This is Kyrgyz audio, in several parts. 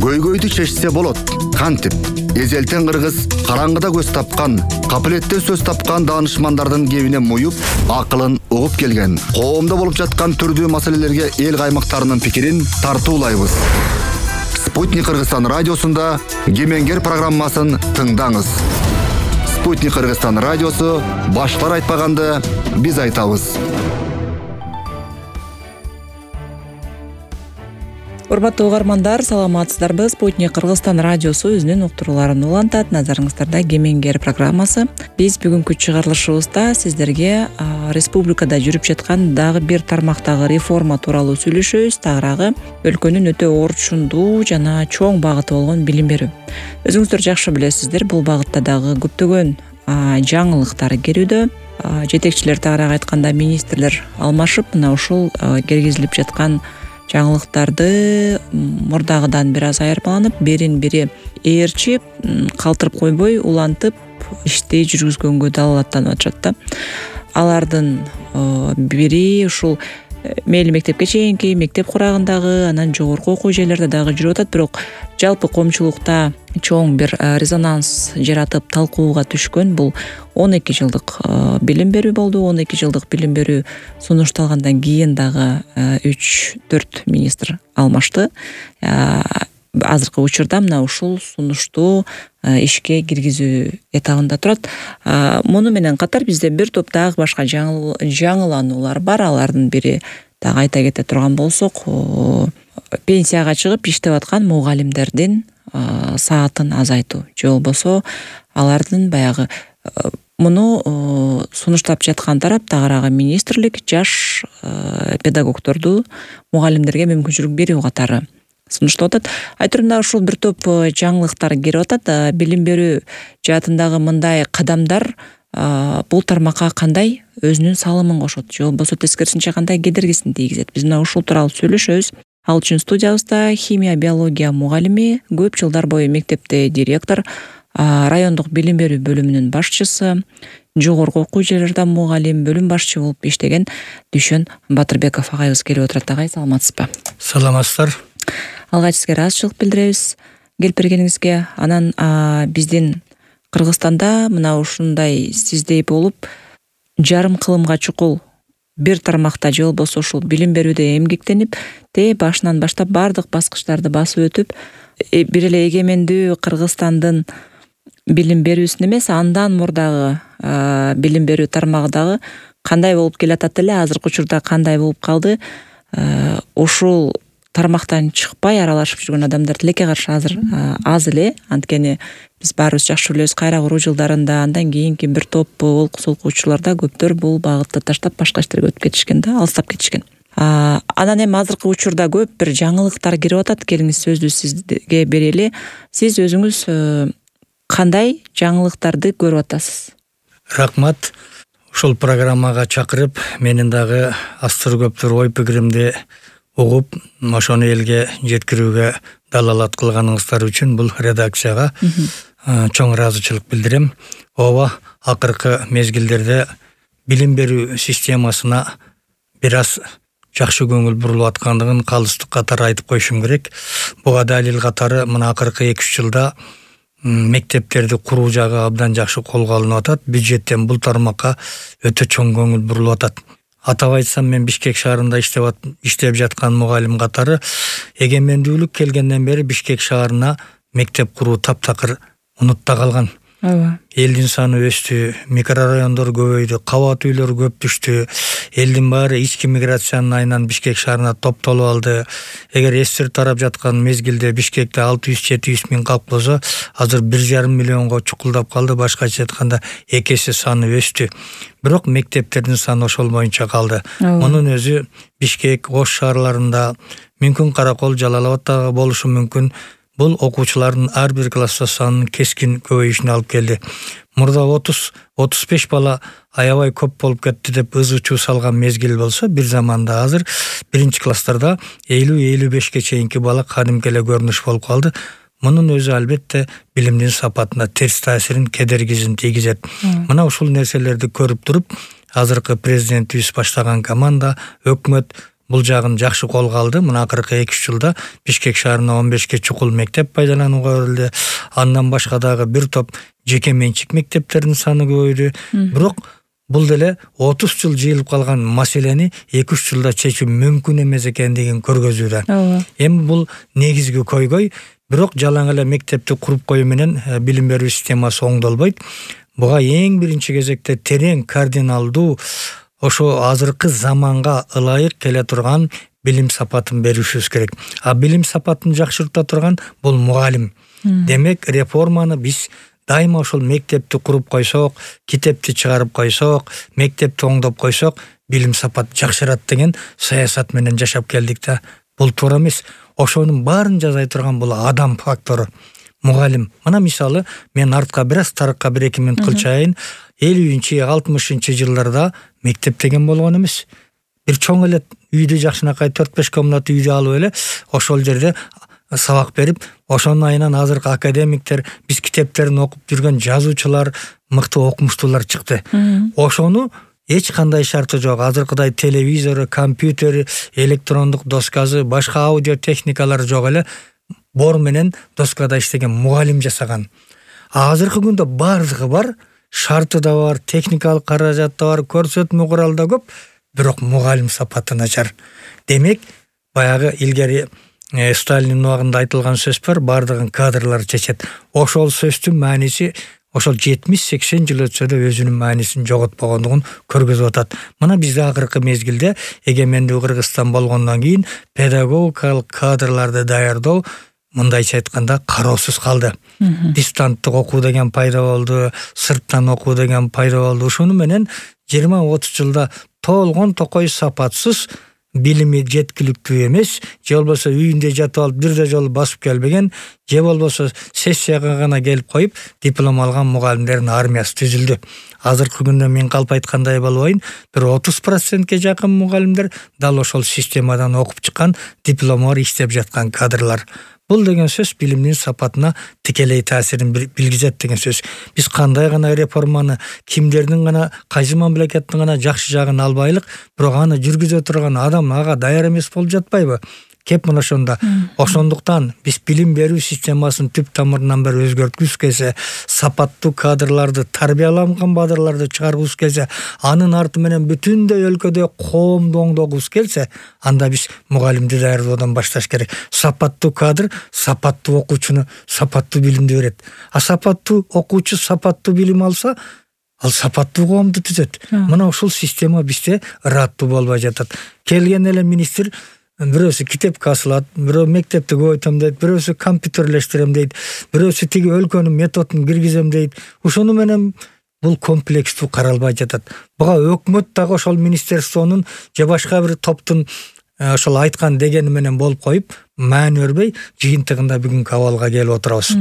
көйгөйдү чечсе болот. Кантип? Эзелтен кыргыз караңгыда көз тапкан, капилеттен сөз тапкан даанышмандардын кебине муюп, акылын угуп келген. Коомдо болуп жаткан түрдүү маселелерге эл каймактарынын пикирин тартуулайбыз. Спутник Кыргызстан радиосунда Кемеңгер программасын тыңдаңыз. Спутник Кыргызстан радиосу башкалар айтпаганды биз айтабыз. Урматтуу угармандар, саламатсыздарбы? Спутник Кыргызстан радиосу өзүнүн уктурууларын улантат. Назарыңыздарда Кемеңгер программасы. Биз бүгүнкү чыгарылышыбызда сиздерге республикада жүрүп жаткан дагы бир тармактагы реформа тууралуу сүйлөшөбүз. Тагыраагы өлкөнүн өтө орчундуу жана чоң багыты болгон билим берүү. Өзүңүздөр жакшы билесиздер, бул багытта дагы көптөгөн жаңылыктар келүүдө. Жетекчилер, тагыраагы айтканда министрлер алмашып, мына ушул киргизилип жаткан жаңылыктарды мурдагыдан бир аз айырмаланып, бирин бири ээрчип, калтырып койбой, улантып ишти жүргүзгөнгө далалаттанып атышат да. Алардын бири ушул мейли мектепке чейинки, мектеп курагындагы, анан жогорку окуу жайларда дагы жүрүп атат, бирок жалпы коомчулукта чоң бир резонанс жаратып талкууга түшкөн бул 12 жылдык билим берүү болду. 12 жылдык билим берүү сунушталгандан кийин дагы 3-4 министр алмашты. Азыркы учурда мына ушул сунушту ишке киргизүү этабында турат. Муну менен катар бизде бир топ дагы башка жаңылануулар бар. Алардын бири дагы айта кете турган болсок, пенсияга чыгып иштеп аткан мугалимдердин саатын азайтуу, же болбосо алардын баягы муну сунуштап жаткан тарап тагыраагы министрлик жаш педагогдорду мугалимдерге мүмкүнчүлүк берүү катары сунуштап атат. Айтырымда ушул бир топ жаңылыктар кирип атат. Билим берүү жаатындагы мындай кадамдар бул тармакка кандай өзүнүн салымын кошот, же болбосо тескерисинче кандай кедергисин тийгизет. Биз мына ушул тууралуу сүйлөшөбүз. Ал үчүн студиябызда химия биология мугалими, көп жылдар бою мектепте директор, райондук билим берүү бөлүмүнүн башчысы, жогорку окуу жайларда мугалим, бөлүм башчы болуп иштеген Дүйшөн Батырбеков агайыбыз келип отурат. Агай, саламатсызбы? Саламатсыздар. Алгач сизге ыраазычылык билдиребиз келип бергениңизге. Анан биздин Кыргызстанда мына ушундай сиздей болуп жарым кылымга чукул бир тармакта, же болбосо ушул билим берүүдө эмгектенип, башынан баштап бардык баскычтарды басып өтүп, бир эле эгемендүү Кыргызстандын билим берүүсүн эмес, андан мурдагы билим берүү тармагы дагы кандай болуп келатат эле, азыркы учурда кандай болуп калды, ушул тармактан чыкпай аралашып жүргөн адамдар тилекке каршы азыр аз эле. Анткени биз баарыбыз жакшы билебиз, кайра куруу жылдарында, андан кийинки бир топ олкусулкуучуларда көптөр бул багытты таштап башка иштерге өтүп кетишкен да, алыстап кетишкен. Анан эми азыркы учурда көп бир жаңылыктар кирип атат. Келиңиз, сөздү сизге берели. Сиз өзүңүз кандай жаңылыктарды көрүп атасыз? Рахмат. Ушул программага чакырып, менин дагы астыр көптөр ой пикиримди угуп, ошону элге жеткирүүгө далалат кылганыңыздар үчүн бул редакцияга чоң ыраазычылык билдирем. Ооба, акыркы мезгилдерде билим берүү системасына бир аз жакшы көңүл бурулуп аткандыгын калыстык катары айтып коюшум керек. Буга далил катары мына акыркы 2-3 жылда мектептерди куруу жагы абдан жакшы колго алынып атат. Бюджеттен бул тармакка өтө чоң көңүл бурулуп атат. Атап айтсам, мен Бишкек шаарында иштеп жаткан мугалим катары эгемендүүлүк келгенден бери Бишкек шаарына мектеп куруу таптакыр унутта калган. Элдин саны өстү, микрорайондор көбөйдү, кабат үйлөр көп түштү. Элдин баары ички миграциянын айынан Бишкек шаарына топтолуп алды. Эгер эстир тарап жаткан мезгилде Бишкекте 600-700 миң калп болсо, азыр 1,5 миллионго чукулдап калды. Башкача айтканда 2 эсе саны өстү. Бирок мектептердин саны ошол боюнча калды. Мунун өзү Бишкек, Ош шаарларында, мүмкүн Каракол, Жалал Абадта болушу мүмкүн. Бул окуучулардын ар бир класста санын кескин көбөйүшүнө алып келди. Мурда 30-35 бала аябай көп болуп кетти деп ызы-чуу салган мезгил болсо, бир заманда азыр 1-класстарда 50-55ке чейинки бала кадимки эле көрүнүш болуп калды. Мунун өзү албетте билимдин сапатына терс таасирин, кедергисин тийгизет. Мына ушул нерселерди көрүп туруп, азыркы президентибиз баштаган команда, өкмөт бул жагын жакшы колго алды. Мына акыркы 2-3 жылда Бишкек шаарына 15 чукул мектеп пайдаланууга берилди. Андан башка дагы бир топ жеке менчик мектептердин саны көбөйдү. Бирок бул деле 30 жыл жыйылып калган маселени 2-3 жылда чечүү мүмкүн эмес экендигин көргөзүүдө. Эми бул негизги көйгөй, бирок жалаң эле мектепти куруп коюу менен билим берүү системасы оңдолбойт. Буга эң биринчи кезекте терең, кардиналдуу, ошо азыркы заманга ылайык келе турган билим сапатын беришибиз керек. А билим сапатын жакшырта турган бул мугалим. Демек, реформаны биз дайыма ошол мектепти куруп койсок, китепти чыгарып койсок, мектепти оңдоп койсок, билим сапат жакшырат деген саясат менен жашап келдик да. Бул туура эмес. Ошонун баарын жазай турган бул адам фактору. Мугалим. Мына мисалы, мен артка бир аз тарыкка 1-2 минут кылчайын. 50-60 жылдарда мектеп деген болгон эмес. Бир чоң эле үйдү жакшынакай 4-5 комната үйдү алып эле ошол жерде сабак берип, ошонун айынан азыркы академиктер, биз китептерин окуп жүргөн жазуучулар, мыкты окумуштуулар чыкты. Ошону эч кандай шарты жок. Азыркыдай телевизору, компьютери, электрондук доскасы, башка аудио техникалар жок эле бор менен доскада иштеген мугалим жасаган. Азыркы күндө бардыгы бар, шарты да бар, техникалык каражат да бар, көрсөтмө курал да көп, бирок мугалим сапаты начар. Демек, баягы илгери Сталиндин убагында айтылган сөз бар, бардыгын кадрлар чечет. Ошол сөздүн мааниси ошол 70-80 жыл өтсө да өзүнүн маанисин жоготпогондугун көргөзүп атат. Мына бизде акыркы мезгилде эгемендүү Кыргызстан болгондон кийин педагогикалык кадрларды даярдоо мындайча айтканда кароосуз калды. Дистанттык окуу деген пайда болду, сырттан окуу деген пайда болду. Ошону менен 20-30 жылда толгон токой сапатсыз, билими жеткиликтүү эмес, же болбосо үйүндө жатып алып бирде жолу басып келбеген, же болбосо сессияга гана келип коюп диплом алган мугалимдердин армиясы түзүлдү. Азыркы күндө мен калп айткандай болбойн, бир 30%ке жакын мугалимдер дал ошол системадан окуп чыккан, диплому бар иштеп жаткан кадрлар. Бул деген сөз билимдин сапатына тикелей таасирин билгизет деген сөз. Биз кандай гана реформаны, кимдердин гана, кайсы мамлекеттин гана жакшы жагын албайлык, бирок аны жүргүзө турган адам ага даяр эмес болуп жатпайбы? Кеп мына ошондо. Ошондуктан биз билим берүү системасын түп тамырынан бери өзгөрткүбүз келсе, сапаттуу кадрларды, тарбияланган кадрларды чыгаргыбыз келсе, анын арты менен бүтүндөй өлкөдө коомду оңдогубуз келсе, анда биз мугалимди даярдоодон башташ керек. Сапаттуу кадр сапаттуу окуучуну сапаттуу билимди берет. А сапаттуу окуучу сапаттуу билим алса, ал сапаттуу коомду түзөт. Мына ушул система бизде ыраттуу болбой жатат. Келген эле министр бирөөсү китепке асылат, бирөө мектепти көбөйтөм дейт, бирөөсү компьютерлештирем дейт, бирөөсү тиги өлкөнүн методун киргизем дейт. Ошону менен бул комплекстүү каралбай жатат. Буга өкмөт дагы ошол министерствонун же башка бир топтун ошол айткан дегени менен болуп коюп, маани бербей, жыйынтыгында бүгүнкү абалга келип отурабыз.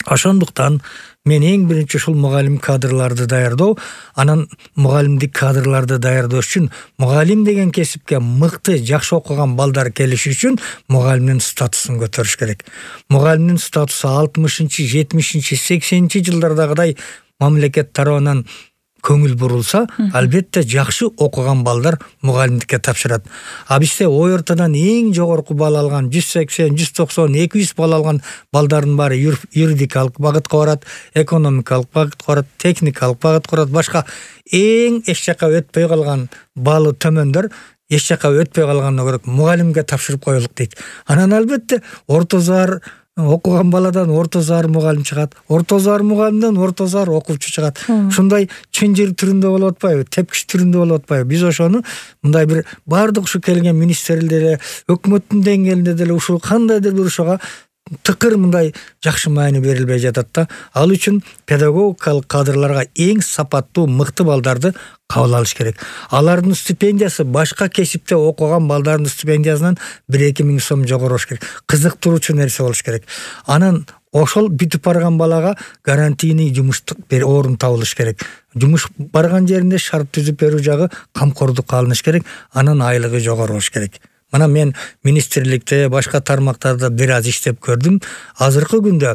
Ошондуктан мен эң биринчи ушул мугалим кадрларды даярдоо, анан мугалимдик кадрларды даярдоо үчүн мугалим деген кесипке мыкты, жакшы окуган балдар келиши үчүн мугалимдин статусун көтөрүш керек. Мугалимдин статусу 60-чы, 70-чи, 80-чи жылдардагыдай мамлекет тарабынан көңүл бурулса, албетте жакшы окуган балдар мугалимдикке тапшырат. А бизде ой ортодон эң жогорку балл алган 180, 190, 200 балл алган балдардын баары юридикалык багытка барат, экономикалык багытка барат, техникалык багытка барат, башка эң эч жака өтпөй калган баллы төмөндөр эч жака өтпөй калганына көрөк мугалимге тапшырып коелук дейт. Анан албетте орто заар окуган баладан орто заар мугалим чыгат, орто заар мугалимден орто заар окуучу чыгат. Ушундай чынжыр түрүндө болуп атпайбы, тепкич түрүндө болуп атпайбы? Биз ошону мындай бир бардык ушу келген министрлерде, өкмөттүн деңгээлинде деле ушул кандайдыр бир ушуга тыкыр мындай жакшы маани берилбей жатат да. Ал үчүн педагогикалык кадрларга эң сапаттуу, мыкты балдарды кабыл алыш керек. Алардын стипендиясы башка кесипте окуган балдардын стипендиясынан 1-2 миң сом жогору болуш керек. Кызыктыруучу нерсе болуш керек. Анан ошол бүтүп барган балага гарантийный жумуш орун табылыш керек. Жумуш барган жеринде шарт түзүп берүү жагы камкордукка алыныш керек. Анан айлыгы жогору болуш керек. Мына мен министрликте, башка тармактарда бир аз иштеп көрдүм. Азыркы күндө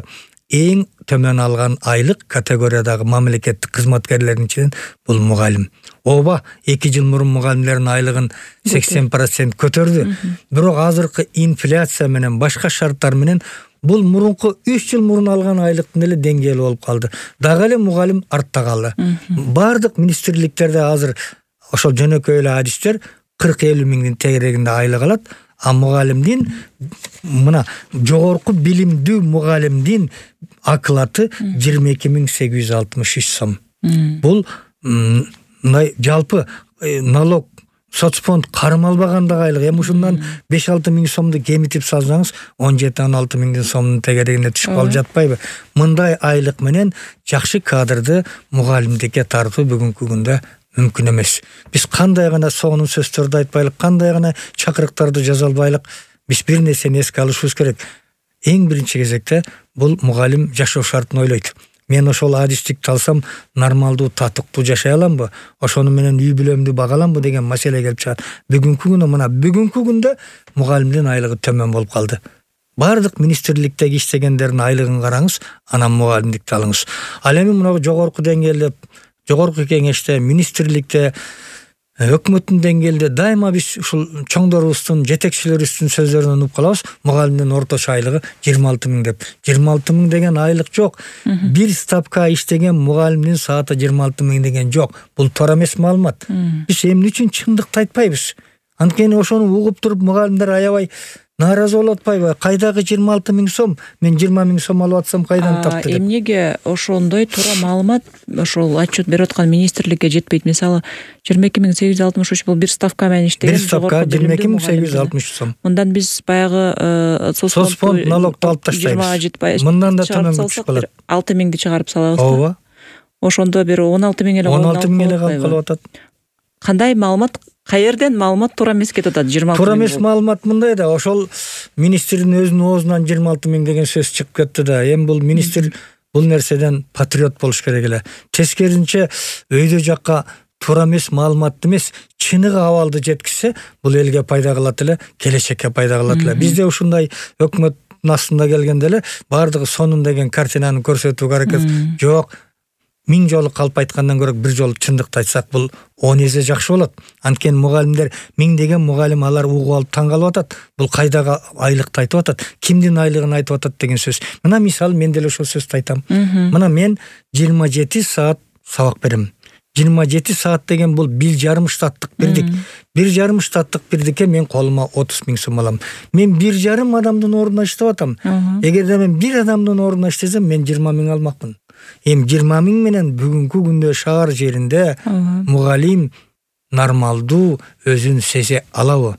эң төмөн алган айлык категориядагы мамлекеттик кызматкерлердин ичинен бул мугалим. Ооба, 2 жыл мурун мугалимдердин айлыгын 80% көтөрдү. Бирок азыркы инфляция менен башка шарттар менен бул мурунку 3 жыл мурун алган айлыктын эле деңгээли болуп калды. Дагы эле мугалим артта калды. Бардык министрликтерде азыр ошол жөнөкөй эле адистер 40-50 миңдин тегерегинде айлык алат. А мугалимдин мына жогорку билимдүү мугалимдин акылаты 22.863 сом. Бул мындай жалпы налог соцфонд карым албагандагы айлык. Эми ушундан 5-6 миң сомду кемитип салсаңыз 17-16 миңдин сомдун тегерегине түшүп калып жатпайбы? Мындай айлык менен жакшы кадрды мугалимдикке тартуу бүгүнкү күндө мүмкүн эмес. Биз кандай гана сонун сөздөрдү айтпайлык, кандай гана чакырыктарды жаза албайлык, биз бир нерсени эске алышыбыз керек. Эң биринчи кезекте бул мугалим жашоо шартын ойлойт. Мен ошол адистикти алсам нормалдуу, татыктуу жашай аламбы? Ошону менен үй бүлөмдү бага аламбы деген маселе келип чыгат. Бүгүнкү күндө мугалимдин айлыгы төмөн болуп калды. Бардык министрликтеги иштегендердин айлыгын караңыз, анан мугалимдикти алыңыз. Ал эми мына жогорку деңгээлде, жогорку кеңеште, министрликте, өкмөттүн деңгээлде дайыма биз ушул чоңдорубуздун, жетекчилерибиздин сөздөрүнөн угуп калабыз. Мугалимдин орточо айлыгы 26 миң деп. 26 миң деген айлык жок. Бир ставка иштеген мугалимдин сааты 26 миң деген жок. Бул туура эмес маалымат. Биз эмне үчүн чындыкты айтпайбыз? Анткени ошону угуп туруп мугалимдер аябай нааразы болуп атпайбы? Кайдагы 26 миң сом? Мен 20 миң сом алып атсам кайдан тапты деп. Эмнеге ошондой туура маалымат ошол отчет берип аткан министрликке жетпейт? Мисалы 22.863 бул бир ставка менен иштеген. Бир ставка 22.863 сом. Мындан биз баягы соцфонд налогду алып таштайбыз. Мындан да төмөн түшүп калат. 6 миңди чыгарып салабыз. Ооба. Ошондо бир 16 миң эле 16 миң эле калып атат. Кандай маалымат, каерден маалымат туура эмес кетип атат? 26 миң. Туура эмес маалымат мындай да, ошол министрдин өзүнүн оозунан 26 миң деген сөз чыгып кетти да. Эми бул министр бул нерседен патриот болуш керек эле. Тескерисинче өйдө жакка туура эмес маалыматты эмес, чыныгы абалды жеткизсе, бул элге пайда кылат эле, келечекке пайда кылат эле. Бизде ушундай өкмөттүн астында келгенде эле бардыгы сонун деген картинаны көрсөтүүгө аракет жок. 1000 жолу калп айткандан көрө бир жолу чындыкты айтсак, бул 10 эсе жакшы болот. Анткени мугалимдер 1000 деген мугалим алар угуп алып таң калып атат. Бул кайдагы айлыкты айтып атат, кимдин айлыгын айтып атат деген сөз. Мына мисалы мен деле ошол сөздү айтам. Мына мен 27 саат сабак берем. 27 саат деген бул 1,5 штаттык бирдик. 1,5 штаттык бирдикке мен колума 30 миң сом алам. Мен 1,5 адамдын ордуна иштеп атам. Эгерде мен бир адамдын ордуна иштесем, мен 20 миң алмакмын. Эми 20 миң менен бүгүнкү күндө шаар жеринде мугалим нормалдуу өзүн сезе алабы?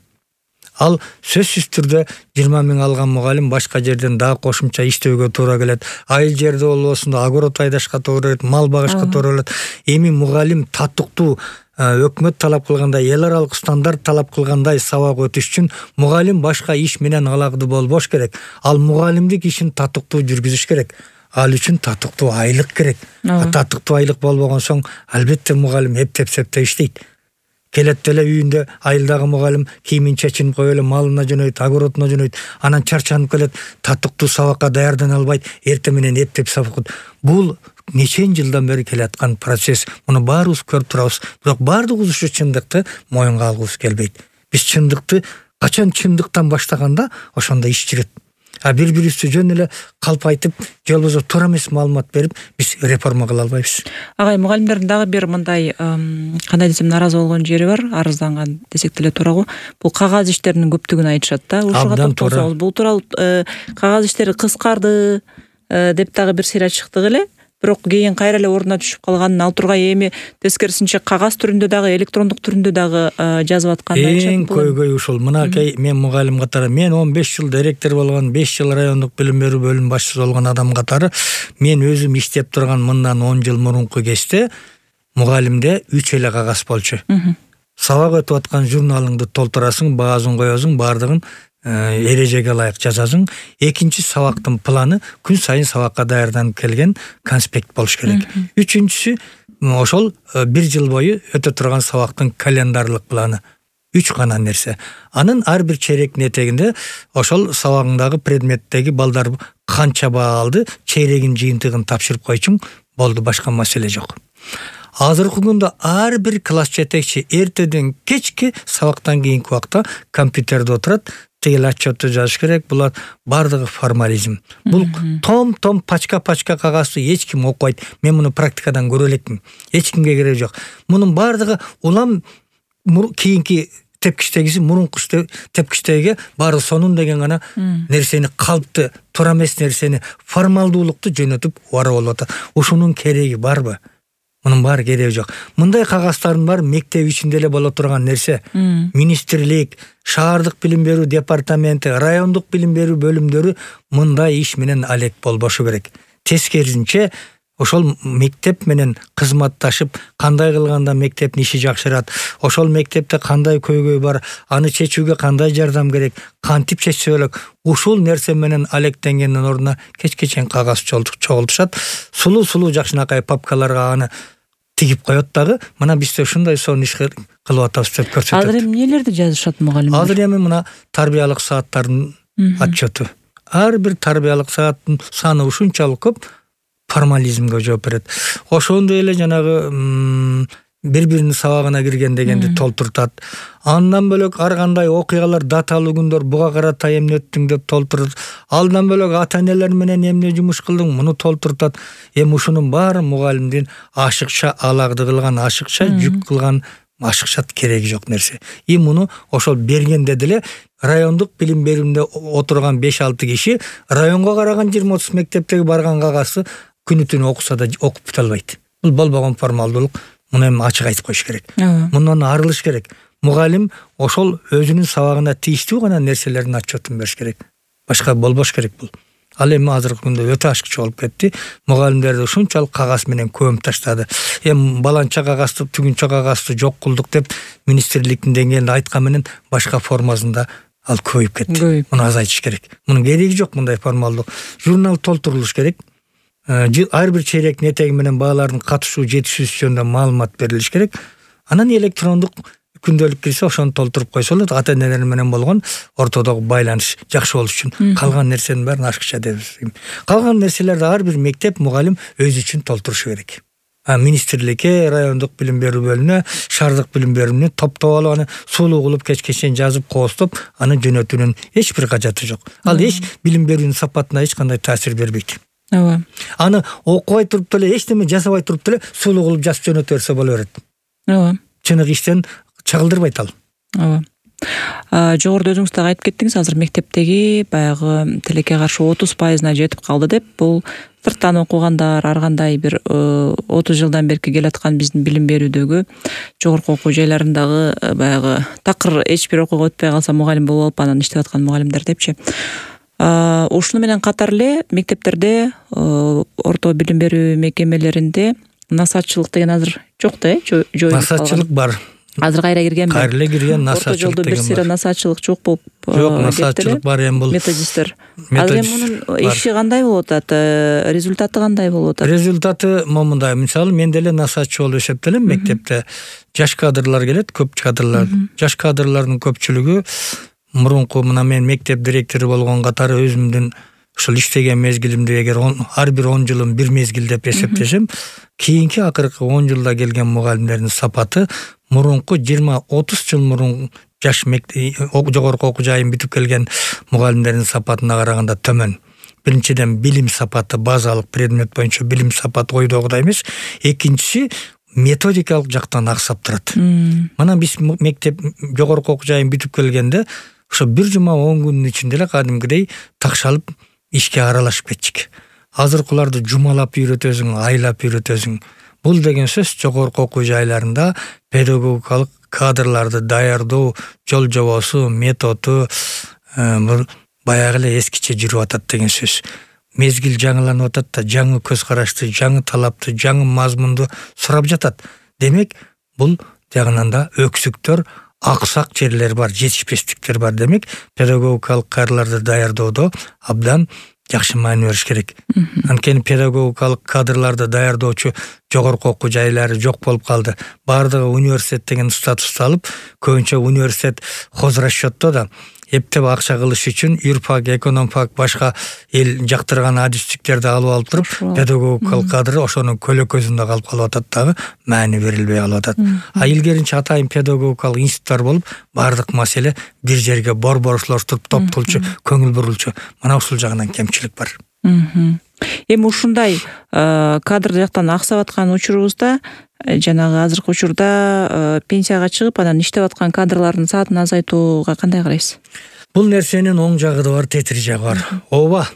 Ал сөзсүз түрдө 20 миң алган мугалим башка жерден дагы кошумча иштөөгө туура келет. Айыл жерде болбосун да огород айдашка туура келет, мал багышка туура келет. Эми мугалим татыктуу өкмөт талап кылгандай, эл аралык стандарт талап кылгандай сабак өтүш үчүн мугалим башка иш менен алакты болбош керек. Ал мугалимдик ишин татыктуу жүргүзүш керек. Ал үчүн татыктуу айлык керек. Татыктуу айлык болбогон соң албетте мугалим эптеп-септеп иштейт. Келет эле үйүндө айылдагы мугалим кийимин чечинип коюп эле малына жөнөйт, огородуна жөнөйт, анан чарчанып келет, татыктуу сабакка даярдана албайт, эртең менен эптеп сабак. Бул нече жылдан бери келаткан процесс. Муну баарыбыз көрүп турабыз. Бирок баардыгыбыз ушу чындыкты моюнга алгыбыз келбейт. Биз чындыкты качан чындыктан баштаганда ошондо иш жүрөт. Бири-бирибизди жөн эле калп айтып, же болбосо туура эмес маалымат берип, биз реформа кыла албайбыз. Агай, мугалимдердин дагы бир мындай кандай десем наразы болгон жери бар, арызданган десек деле туура го. Бул кагаз иштеринин көптүгүн айтышат да. Ушуга токтолсоңуз, бул тууралуу кагаз иштери кыскарды деп дагы бир сыйра чыктык эле. Бирок кийин кайра эле ордуна түшүп калганын, ал тургай эми тескерисинче кагаз түрүндө дагы, электрондук түрүндө дагы жазып атканын айтышат. Эң көйгөй ушул. Мынакей мен мугалим катары, мен 15 жыл директор болгон, 5 жыл райондук билим берүү бөлүм башчысы болгон адам катары, мен өзүм иштеп турган мындан 10 жыл мурунку кечте мугалимде 3 эле кагаз болчу. Сабак өтүп аткан журналыңды толтурасың, баазын коесуң, баардыгын эрежеге ылайык жазасың. Экинчи сабактын планы күн сайын сабакка даярданып келген конспект болуш керек. Үчүнчүсү ошол 1 жыл бою өтө турган сабактын календарлык планы. 3 гана нерсе. Анын ар бир чейректин этегинде ошол сабагыңдагы предметтеги балдар канча баа алды, чейрегин жыйынтыгын тапшырып койчуң, болду, башка маселе жок. Азыркы күндө ар бир класс жетекчи эртеден кечке сабактан кийинки убакта компьютерде отурат, тигил отчетту жазыш керек. Булар бардыгы формализм. Бул том пачка кагазды эч ким окуйт. Мен муну практикадан көрө элекмин. Эч кимге кереги жок. Мунун бардыгы улам кийинки тепкичтегиси мурунку тепкичтеге баары сонун деген гана нерсени, калпты, туура эмес нерсени, формалдуулукту жөнөтүп убара болуп атат. Ушунун кереги барбы? Мунун баары кереги жок. Мындай кагаздардын баары мектеп ичинде эле боло турган нерсе. Министрлик, шаардык билим берүү департаменти, райондук билим берүү бөлүмдөрү мындай иш менен алек болбошу керек. Тескерисинче ошол мектеп менен кызматташып, кандай кылганда мектептин иши жакшырат, ошол мектепте кандай көйгөй бар, аны чечүүгө кандай жардам керек, кантип чечсе болот, ушул нерсе менен алектенгендин ордуна кечке чейин кагаз чогултушат, сулуу жакшынакай папкаларга аны тигип коет дагы. Мына бизде ушундай сонун иш кылып атабыз деп көрсөтөт. Азыр эми эмнелерди жазышат мугалимдер? Азыр эми мына тарбиялык сааттардын отчету. Ар бир тарбиялык сааттын саны ушунчалык көп, формализмге жооп берет. Ошондой эле жанагы бири-биринин сабагына кирген дегенди толтуртат. Андан бөлөк ар кандай окуялар, даталуу күндөр, буга карата эмне өттүң деп толтурат. Алдан бөлөк ата-энелер менен эмне жумуш кылдың, муну толтуртат. Эми ушунун баары мугалимдин ашыкча аларды кылган, ашыкча жүк кылган, ашыкча кереги жок нерсе. Муну ошол бергенде деле райондук билим берүүнүндө отурган 5-6 киши районго караган 20-30 мектептеги барган кагазды күнү-түнү окуса да окуп бута албайт. Бул болбогон формалдуулук. Муну эми ачык айтып коюш керек. Мындан арылыш керек. Мугалим ошол өзүнүн сабагына тийиштүү гана нерселердин отчетун бериш керек. Башка болбош керек бул. Ал эми азыркы күндө өтө ашыкча болуп кетти. Мугалимдерди ушунчалык кагаз менен көмүп таштады. Эми баланча кагазды, түгүнчө кагазды жок кылдык деп министрликтин деңгээлинде айткан менен башка формасында ал көбөйүп кетти. Муну азайтыш керек. Мунун кереги жок мындай формалдуу. Журнал толтурулуш керек. Ар бир чейректин этеги менен баалардын катышуу жетишүүсү жөнүндө маалымат берилиш керек. Анан электрондук күндөлүк кирсе ошону толтуруп койсо болот. Ата-энелер менен болгон ортодогу байланыш жакшы болуш үчүн. Калган нерсенин баарын ашыкча дебиз. Калган нерселерди ар бир мектеп, мугалим өзү үчүн толтурушу керек. Министрликке, райондук билим берүү бөлүмүнө, шаардык билим берүүнү топтоп алып, аны сулуу кылып кечке чейин жазып коостоп, аны жөнөтүүнүн эч бир кажаты жок. Ал эч билим берүүнүн сапатына эч кандай таасир бербейт. Аны окубай туруп деле, эчтеме жасабай туруп деле сулуу кылып жазып жөнөтө берсе боло берет. Чыныгы иштен чагылдырбайт ал. Жогоруда өзүңүз дагы айтып кеттиңиз, азыр мектептеги баягы тилекке каршы 30% жетип калды деп. Бул сырттан окугандар, ар кандай бир 30 жылдан бери келаткан биздин билим берүүдөгү жогорку окуу жайларындагы баягы такыр эч бир окууга өтпөй калса мугалим болуп алып анан иштеп аткан мугалимдер депчи. Ушуну менен катар эле мектептерде, орто билим берүү мекемелеринде насаатчылык деген азыр жок да, жоюлуп калган. Насаатчылык бар. Азыр кайра киргенби? Кайра эле кирген насаатчылык деген бар. Орто жолдо бир сыйра насаатчылык жок болуп. Жок, насаатчылык бар эми бул. Методисттер. Азыр эми мунун иши кандай болуп атат? Результаты кандай болуп атат? Результаты момундай. Мисалы, мен деле насаатчы болуп эсептелем. Мектепте жаш кадрлар келет, көп кадрлар. Жаш кадрлардын көпчүлүгү мурунку мына мен мектеп директору болгон катары өзүмдүн ушул иштеген мезгилимде эгер ар бир 10 жылым бир мезгил деп эсептесем, кийинки акыркы 10 жылда келген мугалимдердин сапаты мурунку 20-30 жыл мурун жаш жогорку окуу жайын бүтүп келген мугалимдердин сапатына караганда төмөн. Биринчиден билим сапаты, базалык предмет боюнча билим сапаты ойдогудай эмес. Экинчиси методикалык жактан аксап турат. Мына биз мектеп жогорку окуу жайын бүтүп келгенде ошо 1 жума 10 күнүн ичинде эле кадимгидей такшалып ишке аралашып кетчик. Азыркыларды жумалап үйрөтөсүң, айлап үйрөтөсүң. Бул деген сөз жогорку окуу жайларында педагогикалык кадрларды даярдоо жол жобосу, методу бул баягы эле эскиче жүрүп атат деген сөз. Мезгил жаңыланып атат да, жаңы көз карашты, жаңы талапты, жаңы мазмунду сурап жатат. Демек, бул жагынан да өксүктөр, аксак жерлер бар, жетишпестиктер бар. Демек, педагогикалык кадрларды даярдоодо абдан жакшы маани бериш керек. Анткени педагогикалык кадрларды даярдоочу жогорку окуу жайлары жок болуп калды. Бардыгы университет деген статусту алып, көбүнчө университет хозрасчетто да эптеп акча кылыш үчүн юрфак, экономфак, башка эл жактырган адистиктерди алып туруп, педагогикалык кадры ошонун көлөкөзүндө калып калып атат дагы, маани берилбей калып атат. А илгеринче атайын педагогикалык институттар болуп, бардык маселе бир жерге борборлоштуруп, топтолчу, көңүл бурулчу. Мына ушул жагынан кемчилик бар. Эми ушундай кадр жактан аксап аткан учурубузда, жанагы азыркы учурда пенсияга чыгып, анан иштеп аткан кадрлардын саатын азайтууга кандай карайсыз? Бул нерсенин оң жагы да бар, тетир жагы бар. Ооба.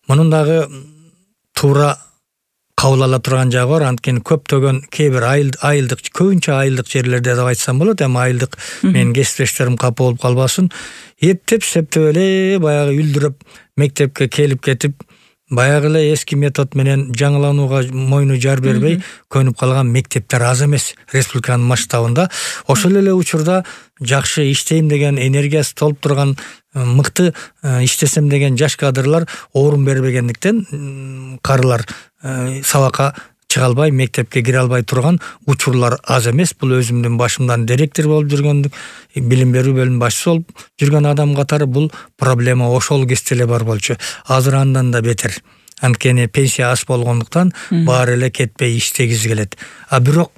Мунун дагы туура кабыл ала турган жагы бар. Анткени көптөгөн кээ бир айылдык, көбүнчө айылдык жерлерде деп айтсам болот. Эми айылдык менин кесиптештерим капа болуп калбасын. Эптеп септеп эле баягы үлдүрөп мектепке келип кетип, баягы эле эски метод менен жаңыланууга мойну жар бербей көнүп калган мектептер аз эмес республиканын масштабында. Ошол эле учурда жакшы иштейм деген энергиясы толуп турган, мыкты иштесем деген жаш кадрлар орун бербегендиктен карылар сабакка чыга албай, мектепке кире албай турган учурлар аз эмес. Бул өзүмдүн башымдан директор болуп жүргөндүк, билим берүү бөлүм башчысы болуп жүргөн адам катары бул проблема ошол кезде эле бар болчу. Азыр андан да бетер. Анткени пенсия аз болгондуктан баары эле кетпей иштегизи келет. А бирок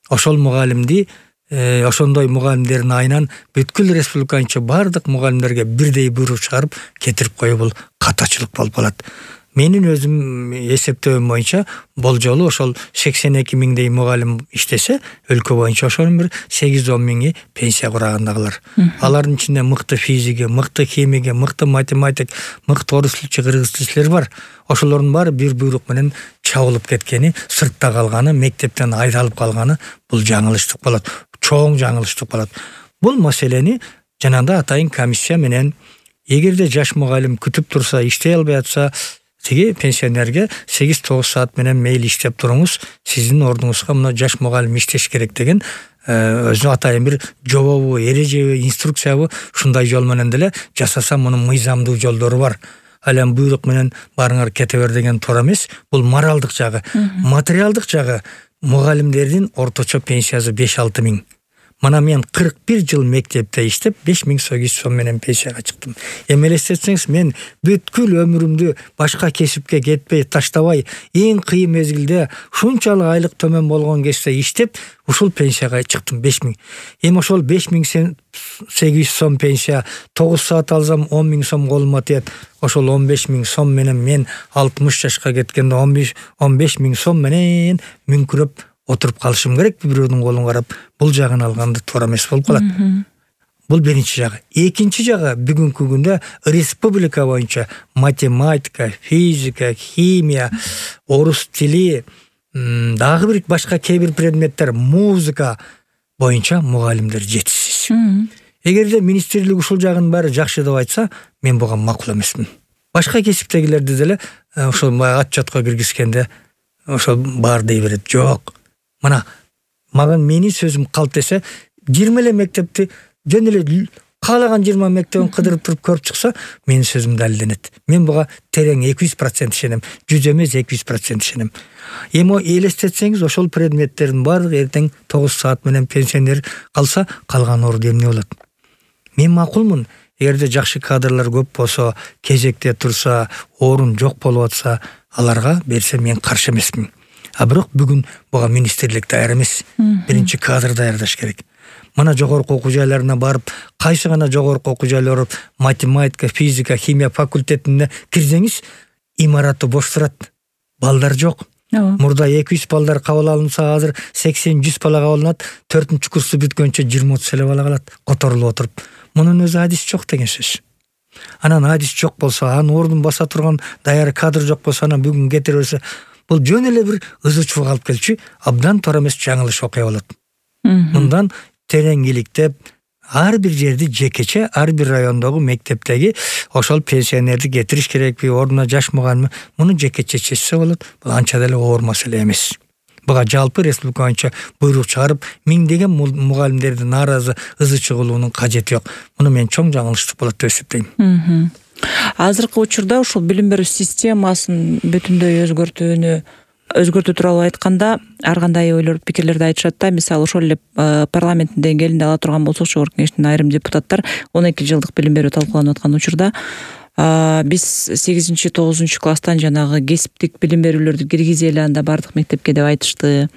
ошол мугалимди, ошондой мугалимдердин айынан бүткүл республиканча бардык мугалимдерге бирдей буйрук чыгарып кетирип коюу бул катачылык болуп калат. Менин өзүм эсептөөм боюнча болжолу ошол 82 миңдей мугалим иштесе, өлкө боюнча ошонун бир 8-10 миңи пенсия курагандагылар. Алардын ичинде мыкты физиги, мыкты химиги, мыкты математик, мыкты орус tilçi, кыргыз tilçилер бар. Ошолордун баары бир буйрук менен чабылып кеткени, сыртта калганы, мектептен айдалып калганы бул жаңылыштык болот. Чоң жаңылыштык болот. Бул маселени жанагындай атайын комиссия менен, эгерде жаш мугалим күтүп турса, иштей албай атса, тиги пенсионерге 8-9 саат менен мейли иштеп туруңуз, сиздин ордуңузга мына жаш мугалим иштеш керек деген өзү атайын бир жобобу, эрежеби, инструкциябы ушундай жол менен деле жасаса мунун мыйзамдуу жолдору бар. Ал эми буйрук менен барыңар кете бер деген туура эмес. Бул моралдык жагы. Материалдык жагы мугалимдердин орточо пенсиясы 5-6 миң. Мана мен 41 жыл мектепте иштеп 5800 сом менен пенсияга чыктым. Эми элестетсеңиз, мен бүткүл өмүрүмдү башка кесипке кетпей, таштабай, эң кыйын мезгилде ушунчалык айлык төмөн болгон кезде иштеп, ушул пенсияга чыктым 5000. Эми ошол 5800 сом пенсия 9 саат алсам 10 миң сом колума тиет. Ошол 15 миң сом менен мен 60 жашка кеткенде 15 миң сом менен мүңкүрөп отуруп калышым керек, бирөөнүн колун карап. Бул жагын алганда туура эмес болуп калат. Бул биринчи жагы. Экинчи жагы, бүгүнкү күндө республика боюнча математика, физика, химия, орус тили, дагы бир башка кээ бир предметтер, музыка боюнча мугалимдер жетишсиз. Эгерде министрлик ушул жагын баары жакшы деп айтса, мен буга макул эмесмин. Башка кесиптегилерди деле ошол отчетко киргизгенде ошол бар дей берет. Жок. Мына маган менин сөзүм калт десе, 20 эле мектепти жөн эле каалаган 20 мектебин кыдырып туруп көрүп чыкса, менин сөзүм далилденет. Мен буга терең 200% ишенем, 100 эмес 200% ишенем. Эми элестетсеңиз, ошол предметтердин баардыгы эртең 9 саат менен пенсионер калса, калган орду эмне болот? Мен макулмун. Эгерде жакшы кадрлар көп болсо, кезекте турса, орун жок болуп атса, аларга берсе мен каршы эмесмин. А бирок бүгүн буга министрлик даяр эмес. Биринчи кадр даярдаш керек. Мына жогорку окуу жайларына барып, кайсы гана жогорку окуу жайлар математика, физика, химия факультетине кирсеңиз, имараты бош турат. Балдар жок. Мурда 200 балдар кабыл алынса, азыр 80-100 бала кабыл алынат. 4-курсту курсту бүткөнчө 20-30 эле бала калат, которулуп отуруп. Мунун өзү адис жок деген сөз. Анан адис жок болсо, анын ордун баса турган даяр кадр жок болсо, анан бүгүн кетире берсе, бул жөн эле бир ызычууга алып келчү, абдан туура эмес жаңылыш окуя болот. Мындан терең иликтеп, ар бир жерди жекече, ар бир райондогу мектептеги ошол пенсионерди кетириш керекпи, ордуна жаш мугалим, муну жекече чечсе болот. Бул анча деле оор маселе эмес. Буга жалпы республика боюнча буйрук чыгарып, миңдеген мугалимдерди нааразы ызы чыгылуунун кажети жок. Муну мен чоң жаңылыштык болот деп эсептейм. Азыркы учурда ушул билим берүү системасын бүтүндөй өзгөртүү тууралуу айтканда ар кандай ойлор, пикирлерди айтышат да. Мисалы ошол эле парламенттин деңгээлинде ала турган болсок, Жогорку Кеңештин айрым депутаттар 12 жылдык билим берүү талкууланып аткан учурда биз 8-9 класстан жанагы кесиптик билим берүүлөрдү киргизели анда бардык мектепке деп айтышты.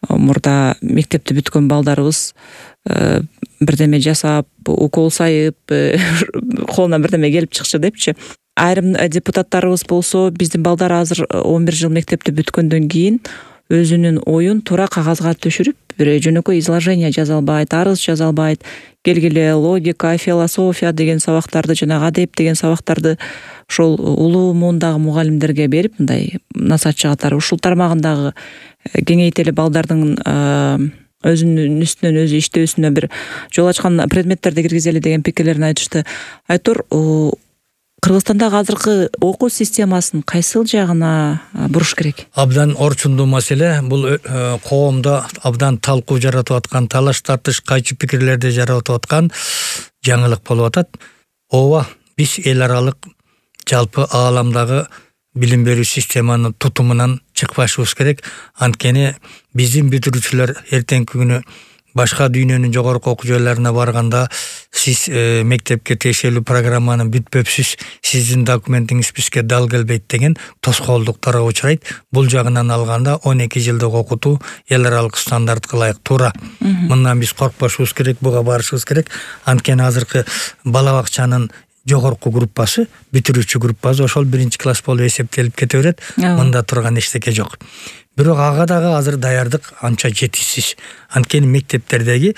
Мурда мектепти бүткөн балдарыбыз бирдеме жасап, укол сайып, колунан бирдеме келип чыкчу депчи. Айрым депутаттарыбыз болсо, биздин балдар азыр 11 жыл мектепти бүткөндөн кийин өзүнүн оюн туура кагазга түшүрүп, бир жөнөкөй изложение жаза албайт, арыз жаза албайт, келгиле логика, философия деген сабактарды, жанагы адеп деген сабактарды ошол улуу муундагы мугалимдерге берип, мындай насаатчы катары ушул тармагындагы кеңейтели балдардын өзүнүн үстүнөн өзү иштөөсүнө бир жол ачкан предметтерди киргизели деген пикирлерин айтышты. Айтор, Кыргызстандагы азыркы окуу системасын кайсыл жагына буруш керек? Абдан орчундуу маселе. Бул коомдо абдан талкуу жаратып аткан, талаш тартыш, кайчы пикирлерди жаратып аткан жаңылык болуп атат. Ооба, биз эл аралык жалпы ааламдагы билим берүү системанын тутумунан чыкпашыбыз керек. Анткени биздин бүтүрүүчүлөр эртеңки күнү башка дүйнөнүн жогорку окуу жайларына барганда сиз мектепке тиешелүү программаны бүтпөпсүз, сиздин документиңиз бизге дал келбейт деген тоскоолдуктарга учурайт. Бул жагынан алганда 12 жылдык окутуу эл аралык стандартка ылайык туура. Мындан биз коркпошубуз керек, буга барышыбыз керек. Анткени азыркы бала бакчанын жогорку группасы, бүтүрүүчү группасы ошол 1-класс болуп эсептелип кете берет. Мында турган эчтеке жок. Бирок ага дагы азыр даярдык анча жетишсиз. Анткени мектептердеги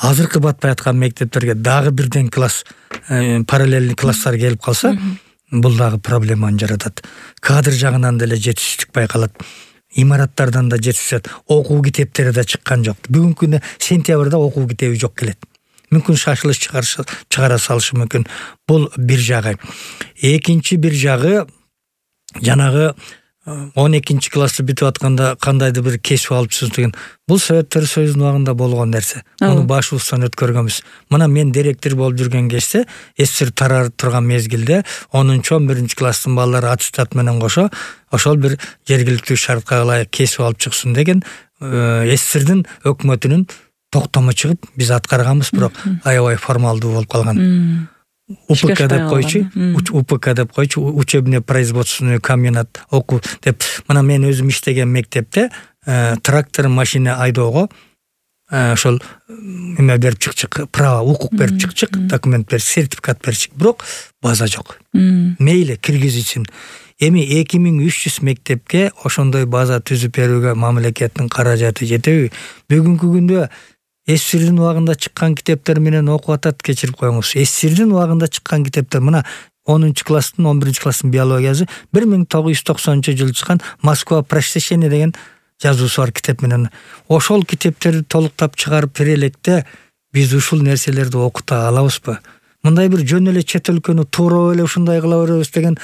азыркы батпай аткан мектептерге дагы 1-класс параллельный класстар келип калса, бул дагы проблеманы жаратат. Кадр жагынан деле жетишсиздик байкалат. Имараттардан да жетишет. Окуу китептери да чыккан жок. Бүгүнкү күндө сентябрда окуу китеби жок келет. Мүмкүн шашылыш чыгара салышы мүмкүн. Бул бир жагы. Экинчи бир жагы, жанагы 12 классты бүтүп атканда кандайдыр бир кесип алыпсыз деген. Бул Советтер Союзунун убагында болгон нерсе. Муну башыбыздан өткөргөнбүз. Мына мен директор болуп жүргөн кезде, СССР тарап турган мезгилде 10-11 класстын балдары аттестат менен кошо ошол бир жергиликтүү шартка ылайык кесип алып чыксын деген СССРдин өкмөтүнүн токтому чыгып биз аткарганбыз, бирок аябай формалдуу болуп калган. УПК деп койчу, учебный производственный комбинат окуу деп. Мына мен өзүм иштеген мектепте трактор, машина айдоого ошол эме берип чыкчык, право, укук берип чыкчык, документ берип, сертификат берчик, бирок база жок. Мейли киргизичин. Эми 2300 мектепке ошондой база түзүп берүүгө мамлекеттин каражаты жетеби? Бүгүнкү күндө СССРдин убагында чыккан китептер менен окуп атат, кечирип коюңуз. СССРдин убагында чыккан китептер, мына 10-класстын, 11-класстын биологиясы 1990-жылы чыккан Москва просвещение деген жазуусу бар китеп менен. Ошол китептерди толуктап чыгарып бере электе биз ушул нерселерди окута алабызбы? Мындай бир жөн эле чет өлкөнү туура эле ушундай кыла беребиз деген,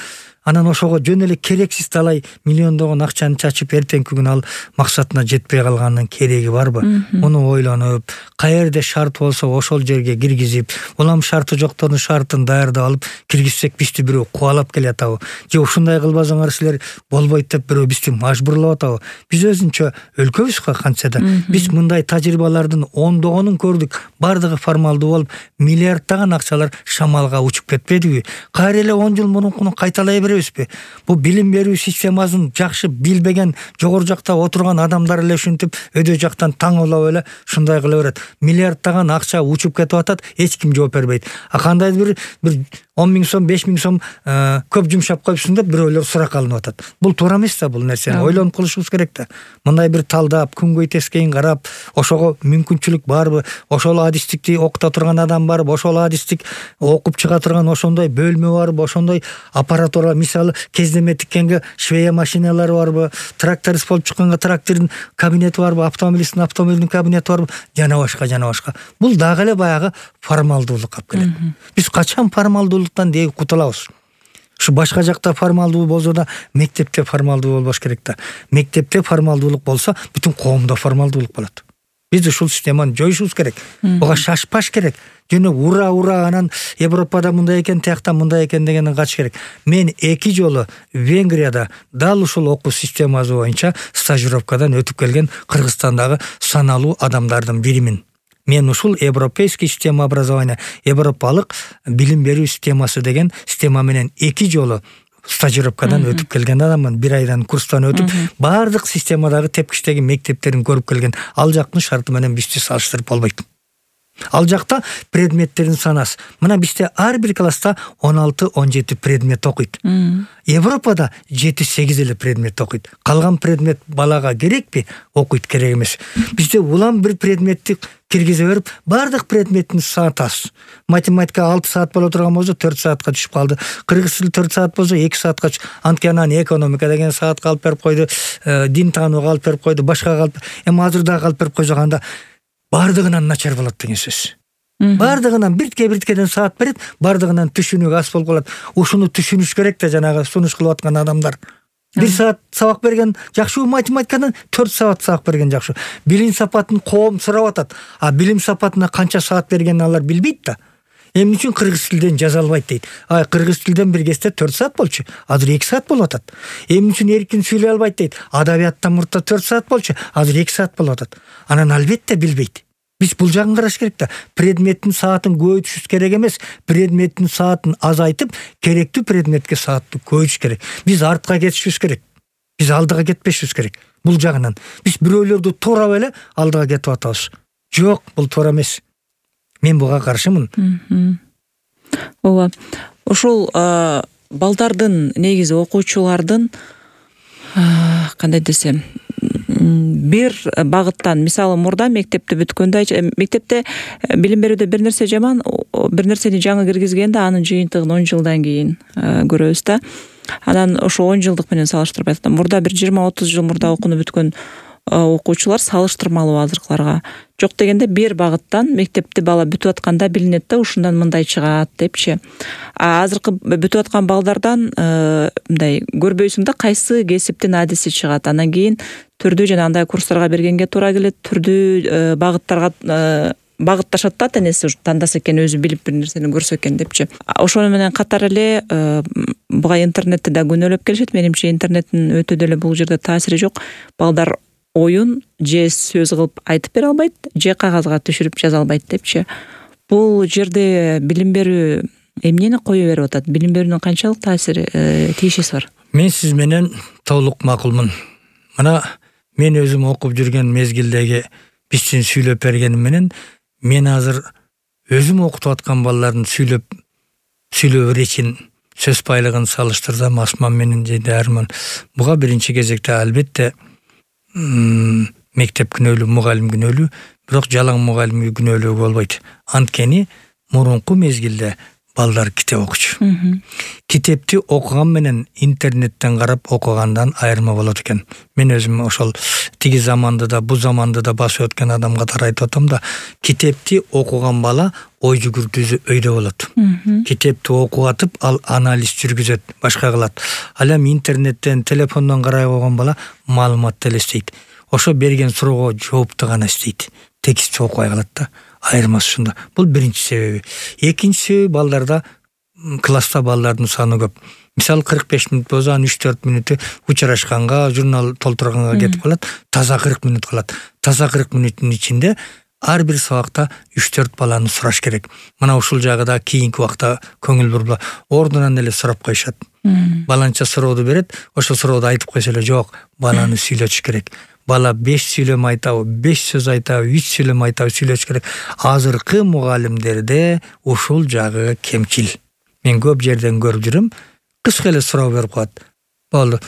анан ошого жөн эле керексиз талай миллиондогон акчаны чачып эртеңки күнү ал максатына жетпей калганын кереги барбы? Муну ойлонуп, каерде шарт болсо ошол жерге киргизип, улам шарты жоктордун шартын даярдап алып киргизсек бизди бирөө кубалап келатабы? Же ушундай кылбасаңар силер болбойт деп бирөө бизди мажбурлап атабы? Биз өзүнчө өлкөбүз кантса да. Биз мындай тажрыйбалардын ондогонун көрдүк. Бардыгы формалдуу болуп, миллиарддаган акчалар шамалга учуп кетпедиби? Кайра эле 10 жыл мурункуну кайталай беребизби? Бул билим берүү системасын жакшы билбеген жогору жакта отурган адамдар эле ушинтип өйдө жактан таңылап эле ушундай кыла берет. Миллиарддаган акча учуп кетип атат, эч ким жооп бербейт. А кандайдыр бир 10 000 сом, 5 000 сом көп жумшап коюпсуң деп бирөөлөр сурак алынып атат. Бул туура эмес да, бул нерсени ойлонуп кылышыбыз керек да. Мындай бир талдап, күнгөй тескейин карап, ошого мүмкүнчүлүк барбы? Ошол адистикти окута турган адам барбы? Ошол адистик окуп чыга турган ошондой бөлмө барбы? Ошондой аппаратура, мисалы кездеме тиккенге швея машиналары барбы? Тракторист болуп чыкканга трактордун кабинети барбы? Автомобилисттин автомобилдин кабинети барбы? Жана башка. Бул дагы эле баягы формалдуулук алып келет. Биз качан формалдуулуктан деги кутулабыз? Ушу башка жакта формалдуу болсо да мектепте формалдуу болбош керек да. Мектепте формалдуулук болсо бүтүн коомдо формалдуулук болот. Биз ушул системаны жоюшубуз керек. Буга шашпаш керек. Жөн ура анан Европада мындай экен, тиякта мындай экен дегенден качыш керек. Мен 2 жолу Венгрияда дал ушул окуу системасы боюнча стажировкадан өтүп келген Кыргызстандагы саналуу адамдардын биримин. Мен ушул европейский система образования, европалык билим берүү системасы деген система менен 2 жолу стажировкадан өтүп келген адаммын. 1 айдан курстан өтүп, баардык системадагы тепкичтеги мектептерин көрүп келген. Ал жактын шарты менен бизди салыштырып болбойт. Ал жакта предметтердин санасы. Мына бизде ар бир класста 16-17 предмет окуйт. Европада 7-8 эле предмет окуйт. Калган предмет балага керекпи? Окуйт, керек эмес. Бизде улам бир предметти киргизе берип, баардык предметтин сааты аз. Математика 6 саат боло турган болсо 4 саатка түшүп калды. Кыргыз тили 4 саат болсо 2 саатка анткенан экономика деген саатка алып берип койду, дин таанууга алып берип койду, башкага алып, эми азыр дагы алып берип койсо анда бардыгынан начар болот деген сөз. Бардыгынан бирткеден саат берет, бардыгынан түшүнүк аз болуп калат. Ушуну түшүнүш керек да, жанагы сунуш кылып аткан адамдар. 1 саат сабак берген жакшы, математикадан 4 саат сабак берген жакшы. Билим сапатын коом сурап атат. А билим сапатына канча саат бергенин алар билбейт да. Эмне үчүн кыргыз тилден жаза албайт дейт. Кыргыз тилден бир кезде 4 саат болчу, азыр 2 саат болуп атат. Эмне үчүн эркин сүйлөй албайт дейт. Адабияттан мурда 4 саат болчу, азыр 2 саат болуп атат. Анан албетте билбейт. Биз бул жагын караш керек да. Предметтин саатын көбөйтүш керек эмес, предметтин саатын азайтып, керектүү предметке саатты көбөйтүш керек. Биз артка кетишибиз керек. Биз алдыга кетпешибиз керек. Бул жагынан биз бирөөлөрдү туурап эле алдыга кетип атабыз. Жок, бул туура эмес. Мен буга каршымын. Ооба. Ушул балдардын, негизи окуучулардын кандай десем, бир багыттан, мисалы мурда мектепти бүткөндө, мектепте билим берүүдө бир нерсе жаман, бир нерсени жаңы киргизгенде анын жыйынтыгын 10 жылдан кийин көрөбүз да. Анан ошо 10 жылдык менен салыштырып айтканда, мурда бир 20-30 жыл мурда окууну бүткөн окуучулар салыштырмалуу азыркыларга жок дегенде бир багыттан мектепти бала бүтүп атканда билинет да, ушундан мындай чыгат депчи. Азыркы бүтүп аткан балдардан мындай көрбөйсүң да, кайсы кесиптин адиси чыгат. Анан кийин түрдүү жанагындай курстарга бергенге туура келет, түрдүү багыттарга багытташат да, тенеси тандаса экен, өзү билип бир нерсени көрсө экен депчи. Ошону менен катар эле буга интернетти да күнөөлөп келишет. Менимче интернеттин өтө деле бул жерде таасири жок. Балдар оюн же сөз кылып айтып бере албайт, же кагазга түшүрүп жаза албайт депчи. Бул жерде билим берүү эмнени кое берип атат? Билим берүүнүн канчалык таасири, тийишеси бар? Мен сиз менен толук макулмун. Мына мен өзүм окуп жүрген мезгилдеги биздин сүйлөп бергеним менен мен азыр өзүм окутуп аткан балдардын сүйлөө иречин, сөз байлыгын салыштырсам, Асман менен же Дарман, буга биринчи кезекте албетте мектеп күнөөлүү, мугалим күнөөлүү, бирок жалаң мугалим күнөөлүү болбойт. Анткени мурунку мезгилде балдар китеп окучу. Китепти окуган менен интернеттен карап окугандан айырма болот экен. Мен өзүм ошол тиги заманды да, бу заманды да басып өткөн адам катары айтып атам да, китепти окуган бала ой жүгүртүүсү өйдө болот. Китепти окуп атып, ал анализ жүргүзөт, башка кылат. Ал эми интернеттен, телефондон карай койгон бала маалыматты эле издейт. Ошо берген суроого жоопту гана издейт. Текстти окубай калат да. Айырмасы ушунда. Бул биринчи себеби. Экинчи себеби, балдарда, класста балдардын саны көп. Мисалы 45 мүнөт болсо, анын 3-4 мүнөтү учурашканга, журнал толтурганга кетип калат. Таза 40 мүнөт калат. Таза 40 мүнөттүн ичинде ар бир сабакта 3-4 баланы сураш керек. Мына ушул жагыда кийинки убакта көңүл бурба, ордунан эле сурап коюшат. Баланча сурооду берет, ошол сурооду айтып койсо эле жок, баланы сүйлөтүш керек. Бала 5 сүйлөм айтабы, 5 сөз айтабы, 3 сүйлөм айтабы сүйлөш керек. Азыркы мугалимдерде ушул жагы кемчил. Мен көп жерден көрүп жүрүм, кыска эле суроо берип коет. Болду.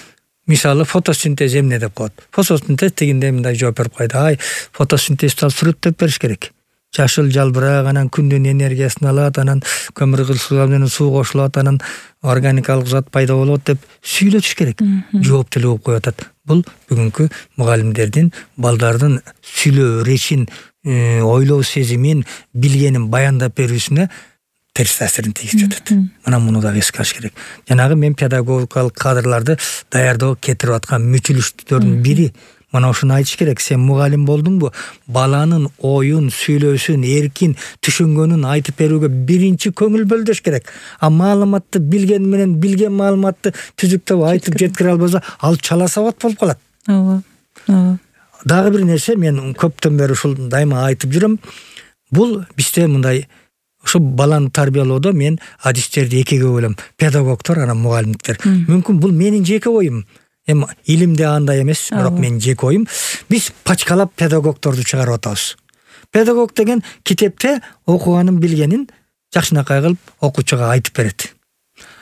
Мисалы фотосинтез эмне деп коет. Фотосинтез дегенде мындай жооп берип койду. Фотосинтезди сүрөттөп бериш керек. Жашыл жалбырак, анан күндүн энергиясын алат, анан көмүр кызылчылар менен суу кошулат, анан органикалык зат пайда болот деп сүйлөтүш керек. Жооп деле болуп коюп атат. Бул бүгүнкү мугалимдердин балдардын сүйлөө иречин, ойлоо сезимин, билгенин баяндап берүүсүнө терс таасирин тийгизип жатат. Мына муну дагы эске алыш керек. Жанагы мен педагогикалык кадрларды даярдоо кетирип аткан мүчүлүштөрдүн бири мына ушуну айтыш керек. Сен мугалим болдуңбу? Баланын оюн, сүйлөөсүн, эркин түшүнгөнүн айтып берүүгө биринчи көңүл бөлдөш керек. А маалыматты билген менен билген маалыматты түзүктөп айтып жеткире албаса, ал чала сабат болуп калат. Ооба. Дагы бир нерсе, мен көптөн бери ушул дайыма айтып жүрөм. Бул бизде мындай ушу баланы тарбиялоодо мен адистерди экиге бөлөм. Педагогдор, анан мугалимдиктер. Мүмкүн бул менин жеке оюм. Эми илимде андай эмес, бирок менин жеке оюм. Биз пачкалап педагогдорду чыгарып атабыз. Педагог деген китепте окуганын билгенин жакшынакай кылып окуучуга айтып берет.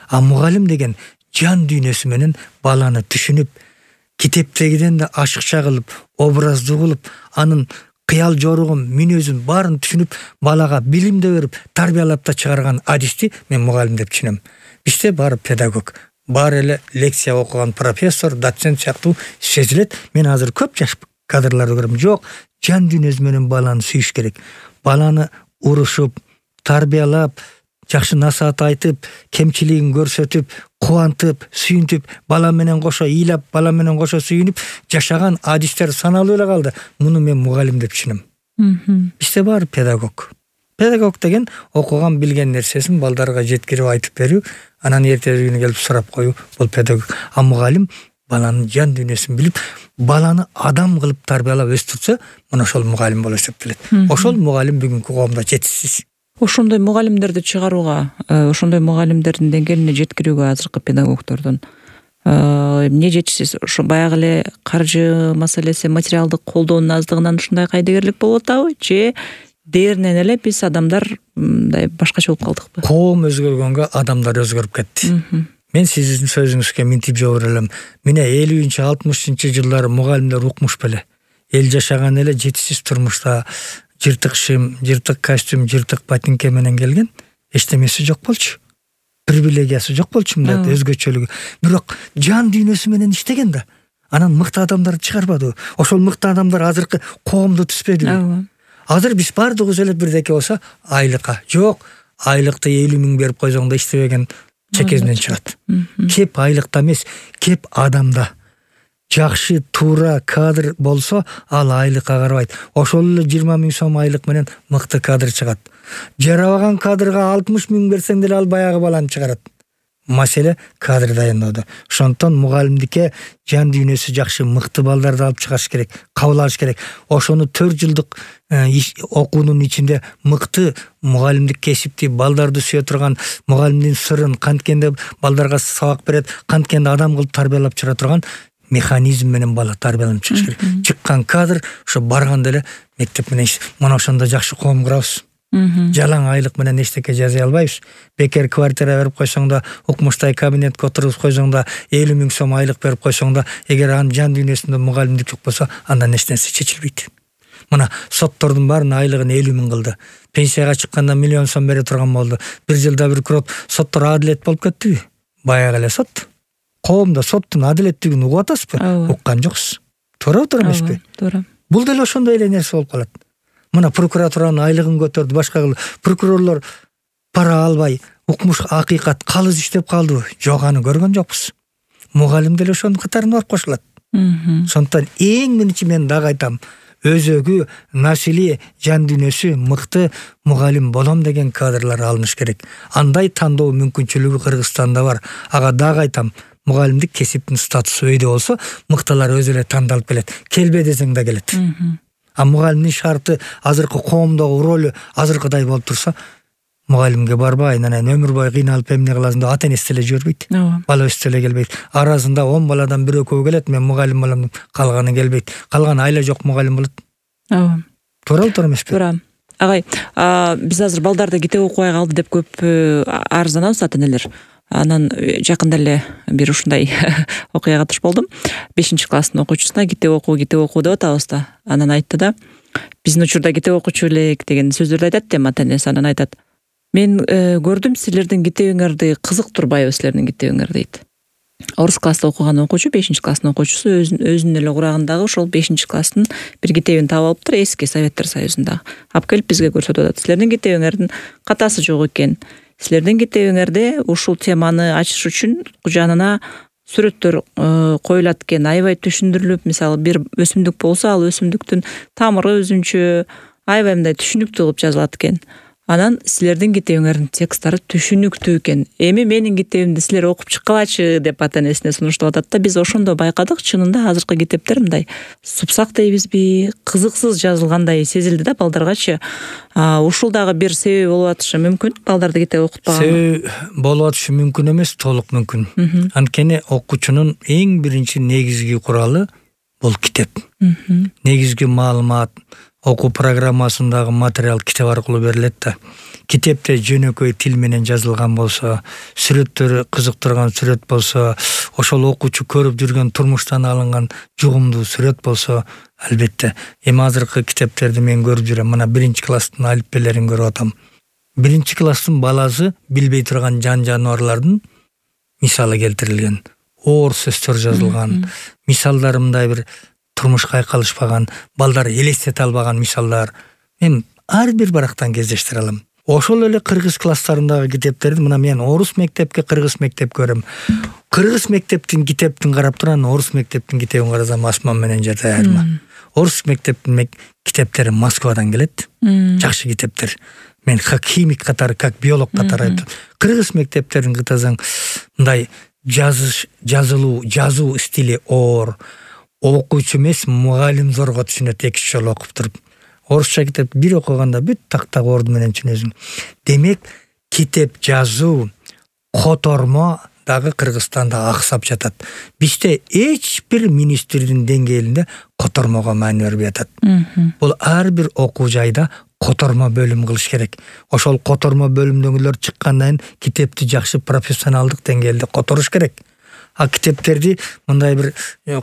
А мугалим деген жан дүйнөсү менен баланы түшүнүп, китептегиден да ашыкча кылып, образдуу кылып, анын кыял жоругун, мүнөзүн баарын түшүнүп, балага билимди берип, тарбиялап да чыгарган адисти мен мугалим деп түшүнөм. Бизде баары педагог, баары эле лекция окуган профессор, доцент сыяктуу сезилет. Мен азыр көп жаш кадрларды көрөм. Жок, жан дүйнөсү менен баланы сүйүш керек. Баланы урушуп, тарбиялап, жакшы насаат айтып, кемчилигин көрсөтүп, кубантып, сүйүнтүп, бала менен кошо ыйлап, бала менен кошо сүйүнүп жашаган адистер саналуу эле калды. Муну мен мугалим деп түшүнөм. Бизде баары педагог. Педагог деген окуган билген нерсесин балдарга жеткирип айтып берүү, анан эртеси күнү келип сурап коюу, бул педагог. А мугалим баланын жан дүйнөсүн билип, баланы адам кылып тарбиялап өстүрсө, мына ошол мугалим болуп эсептелет. Ошол мугалим бүгүнкү коомдо жетишсиз. Ошондой мугалимдерди чыгарууга, ошондой мугалимдердин деңгээлине жеткирүүгө азыркы педагогдордун эмне жетишсиз? Ошо баягы эле каржы маселеси, материалдык колдоонун аздыгынан ушундай кайдыгерлик болуп атабы, же дээринен эле биз адамдар мындай башкача болуп калдыкпы? Коом өзгөргөнгө адамдар өзгөрүп кетти. Мен сиздин сөзүңүзгө минтип жооп берем. Мына 50-60 жылдары мугалимдер укмуш беле. Эл жашаган эле жетишсиз турмушта, жыртык шим, жыртык костюм, жыртык ботинке менен келген, эчтемеси жок болчу. Привилегиясы жок болчу, мындай өзгөчөлүгү. Бирок жан дүйнөсү менен иштеген да. Анан мыкты адамдарды чыгарбады. Ошол мыкты адамдар азыркы коомду түзбөдүбү? Азыр биз баардыгыбыз эле бирдеке болсо, айлыкка жок, айлыкты 50 000 берип койсоң да иштебеген чекесинен чыгат. Кеп айлыкта эмес, кеп адамда. Жакшы, туура кадр болсо, ал айлыкка карабайт. Ошол эле 20 000 сом айлык менен мыкты кадр чыгат. Жарабаган кадрга 60 000 берсең деле ал баягы баланы чыгарат. Маселе кадр дайындоодо. Ошондон мугалимдикке жан дүйнөсү жакшы, мыкты балдарды алып чыгыш керек, кабыл алыш керек. Ошону 4 жылдык окуунун ичинде мыкты мугалимдик кесипти, балдарды сүйө турган, мугалимдин сырын канткенде балдарга сабак берет, канткенде адам кылып тарбиялап чыгара турган механизм менен бала тарбияланып чыгыш керек. Чыккан кадр ошо барганда эле мектеп менен мына ошондо жакшы коом курабыз. Жалаң айлык менен эчтеке жасай албайбыз. Бекер квартира берип койсоң да, укмуштай кабинетке отургузуп койсоң да, 50 000 сом айлык берип койсоң да, эгер анын жан дүйнөсүндө мугалимдик жок болсо, андан эч нерсе чечилбейт. Мына соттордун баарынын айлыгын 50 000 кылды. Пенсияга чыкканда 1 000 000 сом бере турган болду. Бир жылда бир курот, соттор адилет болуп кеттиби? Баягы эле сот. Коомдо соттун адилеттигин угуп атасызбы? Уккан жоксуз. Туура эмеспи? Туура. Бул деле ошондой эле нерсе болуп калат. Мына прокуратуранын айлыгын көтөрдү, башка кылды. Прокурорлор пара албай, укмуш акыйкат калыс иштеп калдыбы? Жок, аны көргөн жокпуз. Мугалим деле ошонун катарына барып кошулат. Сондуктан эң биринчи мен дагы айтам, өзөгү, насили, жан дүйнөсү мыкты мугалим болом деген кадрлар алыныш керек. Андай тандоо мүмкүнчүлүгү Кыргызстанда бар. Ага дагы айтам, мугалимдик кесиптин статусу өйдө болсо, мыктылар өзү эле тандалып келет. Келбе десең да келет. А мугалимдин шарты азыркы коомдогу ролу азыркыдай болуп турса, мугалимге барбай, анан өмүр бою кыйналып эмне кыласың деп ата-энеси деле жибербейт. Бала өстө эле келбейт. Арасында 10 баладан бирөө келет, мен мугалим болом деп, калганы келбейт. Калган айла жок мугалим болот. Туура эмеспи? Туура. Агай, биз азыр балдарды китеп окубай калды деп көп арызданабыз ата-энелер. Анан жакында эле бир ушундай окуяга туш болдум. 5-класстын окуучусуна китеп окуу деп атабыз да. Анан айтты да, биздин учурда китеп окучу элек деген сөздөрдү айтат да ата-энеси. Анан айтат, мен көрдүм силердин китебиңерди кызыктырбайбы силердин китебиңер дейт. Орус класста окуган окуучу, 5-класстын окуучусу өзүнүн эле курагындагы ошол 5-класстын бир китебин таап алыптыр, эски Советтер Союзундагы. Алып келип бизге көрсөтүп атат. Силердин китебиңердин катасы жок экен. силердин китебиңерде ушул теманы ачыш үчүн жанына сүрөттөр коюлат экен, аябай түшүндүрүлүп, мисалы бир өсүмдүк болсо ал өсүмдүктүн тамыры өзүнчө аябай мындай түшүнүктүү кылып жазылат экен. Анан силердин китебиңердин тексттары түшүнүктүү экен. Эми менин китебимди силер окуп чыккылачы деп ата энесине сунуштап атат да. Биз ошондо байкадык, чынында азыркы китептер мындай супсак дейбизби, кызыксыз жазылгандай сезилди да балдаргачы. Ушул дагы бир себеби болуп атышы мүмкүн, балдарды китеп окутпаган. Себеби болуп атышы мүмкүн эмес, толук мүмкүн. Анткени окуучунун эң биринчи негизги куралы бул китеп. Негизги маалымат окуу программасындагы материал китеп аркылуу берилет да. Китепте жөнөкөй тил менен жазылган болсо, сүрөттөрү кызыктырган сүрөт болсо, ошол окуучу көрүп жүргөн турмуштан алынган жугумдуу сүрөт болсо, албетте. Эми азыркы китептерди мен көрүп жүрөм. Мына 1-класстын алиппелерин көрүп атам. 1-класстын баласы билбей турган жан-жаныбарлардын мисалы келтирилген. Оор сөздөр жазылган. Мисалдары мындай бир турмушка айкалышпаган, балдар элестете албаган мисалдар. Мен ар бир барактан кездештире алам. Ошол эле кыргыз класстарындагы китептерди мына мен орус мектепке, кыргыз мектеп көрөм. Кыргыз мектептин китептин карап туран, орус мектептин китебин карасам асман менен жер айырма. Орус мектептин китептери Москвадан келет. Жакшы китептер. Мен как химик катары, как биолог катары айтып. Кыргыз мектептерин кытасаң, мындай жазуу стили оор. Окуучу эмес, мугалим зорго түшүнөт, 2 жолу окуп туруп. Орусча китеп бир окуганда бүт тактак орду менен түшүнөсүң. Демек, китеп жазуу, котормо дагы Кыргызстанда аксап жатат. Бизде эч бир министрдин деңгээлинде котормого маани бербей атат. Бул ар бир окуу жайда котормо бөлүм кылыш керек. Ошол котормо бөлүмдөгүлөр чыккандан кийин китепти жакшы профессионалдык деңгээлде которуш керек. Китептерди мындай бир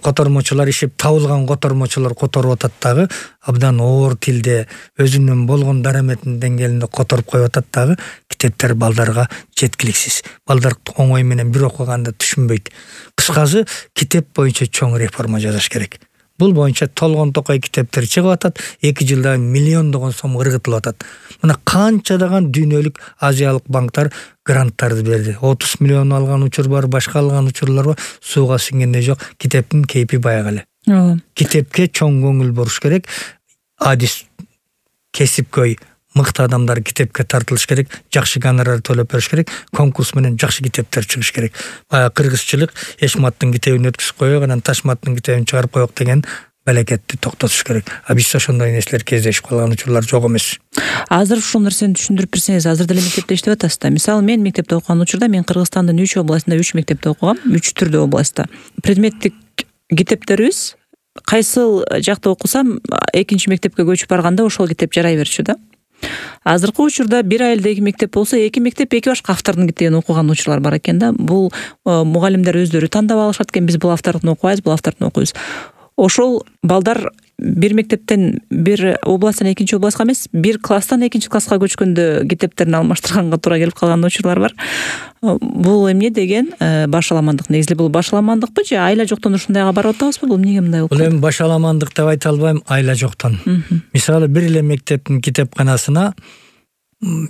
котормочулар ишип табылган котормочулар которуп атат дагы, абдан оор тилде өзүнүн болгон дараметинин деңгээлинде которуп коюп атат дагы, китептер балдарга жеткиликсиз. Балдар оңой менен бир окуганда түшүнбөйт. Кыскасы, китеп боюнча чоң реформа жасаш керек. Бул боюнча толгон токой китептер чыгып атат, 2 жылда миллиондогон сом ыргытылып атат. Мына канчадаган дүйнөлүк азиялык банктар гранттарды берди. 30 миллион алган учур бар, башка алган учурлар бар, сууга сиңгенде жок. Китептин кейпи баягы эле. Китепке чоң көңүл буруш керек. Адис кесипкөй мыкты адамдар китепке тартылыш керек, жакшы гонорар төлөп бериш керек, конкурс менен жакшы китептер чыгыш керек. Кыргызчылык Эшматтын китебин өткүзүп коёк, анан Ташматтын китебин чыгарып коёк деген балекетти токтотуш керек. Биз ошондой нерселер кездешип калган учурлар жок эмес. Азыр ушул нерсени түшүндүрүп берсеңиз, азыр деле мектепте иштеп атасыз да. Мисалы, мен мектепте окуган учурда мен Кыргызстандын 3 областында 3 мектепте окугам, 3 түрдүү областта. Предметтик китептерибиз кайсыл жакта окусам, 2 мектепке көчүп барганда ошол китеп жарай берчү да. Азыркы учурда бир айылдагы мектеп болсо, 2 мектеп 2 башка автордун китебин окуган учурлар бар экен да. Бул мугалимдер өздөрү тандап алышат экен, биз бул автордун окубайбыз, бул автордун окуйбуз. Ошол балдар бир мектептен бир областтан 2 областка эмес, бир класстан 2 класска көчкөндө китептерин алмаштырганга туура келип калган учурлар бар. Бул эмне деген башаламандык? Негизи бул башаламандыкпы же айла жоктон ушундайга барып атабызбы? Бул эмнеге мындай болуп калды? Бул эми башаламандык деп айта албайм, айла жоктон. Мисалы, бир эле мектептин китепканасына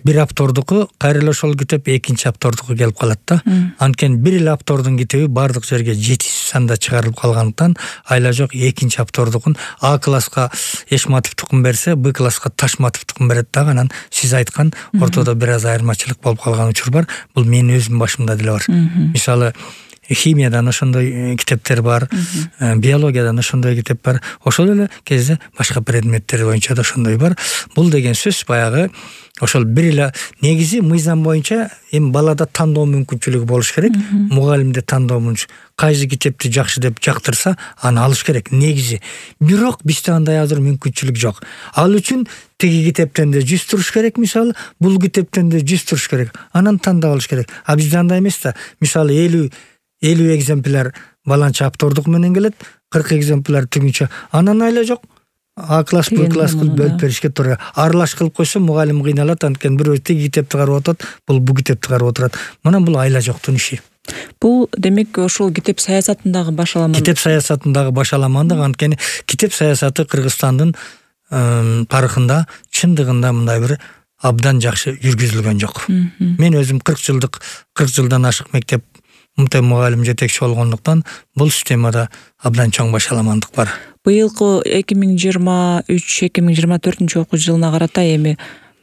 бир автордуку, кайра эле ошол китеп 2 автордуку келип калат да. Анткени бир эле автордун китеби бардык жерге жетишсиз санда чыгарылып калгандыктан айла жок 2 автордукун А класска Эшматов тукум берсе, Б класска Ташматов тукум берет дагы, анан сиз айткан ортодо бир аз айырмачылык болуп калган учур бар. Бул менин өзүмдүн башымда деле бар. Мисалы, химиядан ошондой китептер бар, биологиядан ошондой китеп бар, ошол эле кезде башка предметтер боюнча да ошондой бар. Бул деген сөз баягы ошол бир эле негизи мыйзам боюнча эми балада тандоо мүмкүнчүлүгү болуш керек. Мугалимде тандоо мүмкүн. Кайсы китепти жакшы деп жактырса, аны алыш керек негизи. Бирок бизде андай азыр мүмкүнчүлүк жок. Ал үчүн тиги китептен да 100 туруш керек, мисалы, бул китептен да 100 туруш керек. Анан тандап алыш керек. Бизде андай эмес да. Мисалы 50 экземпляр баланча автордук менен келет, 40 экземпляр түгүнчө. Анан айла жок. А класс, Б класс кылып бөлүп беришке туура. Аралаш кылып койсо мугалим кыйналат, анткени бирөө тиги китепти карап отурат, бул китепти карап отурат. Мына бул айла жоктун иши. Бул демек ошол китеп саясатындагы башаламандык. Китеп саясатындагы башаламандык, анткени китеп саясаты Кыргызстандын тарыхында чындыгында мындай бир абдан жакшы жүргүзүлгөн жок. Мен өзүм 40 жылдан ашык мектеп мугалим жетекчи болгондуктан бул системада абдан чоң башаламандык бар. Быйылкы 2023-2024 окуу жылына карата эми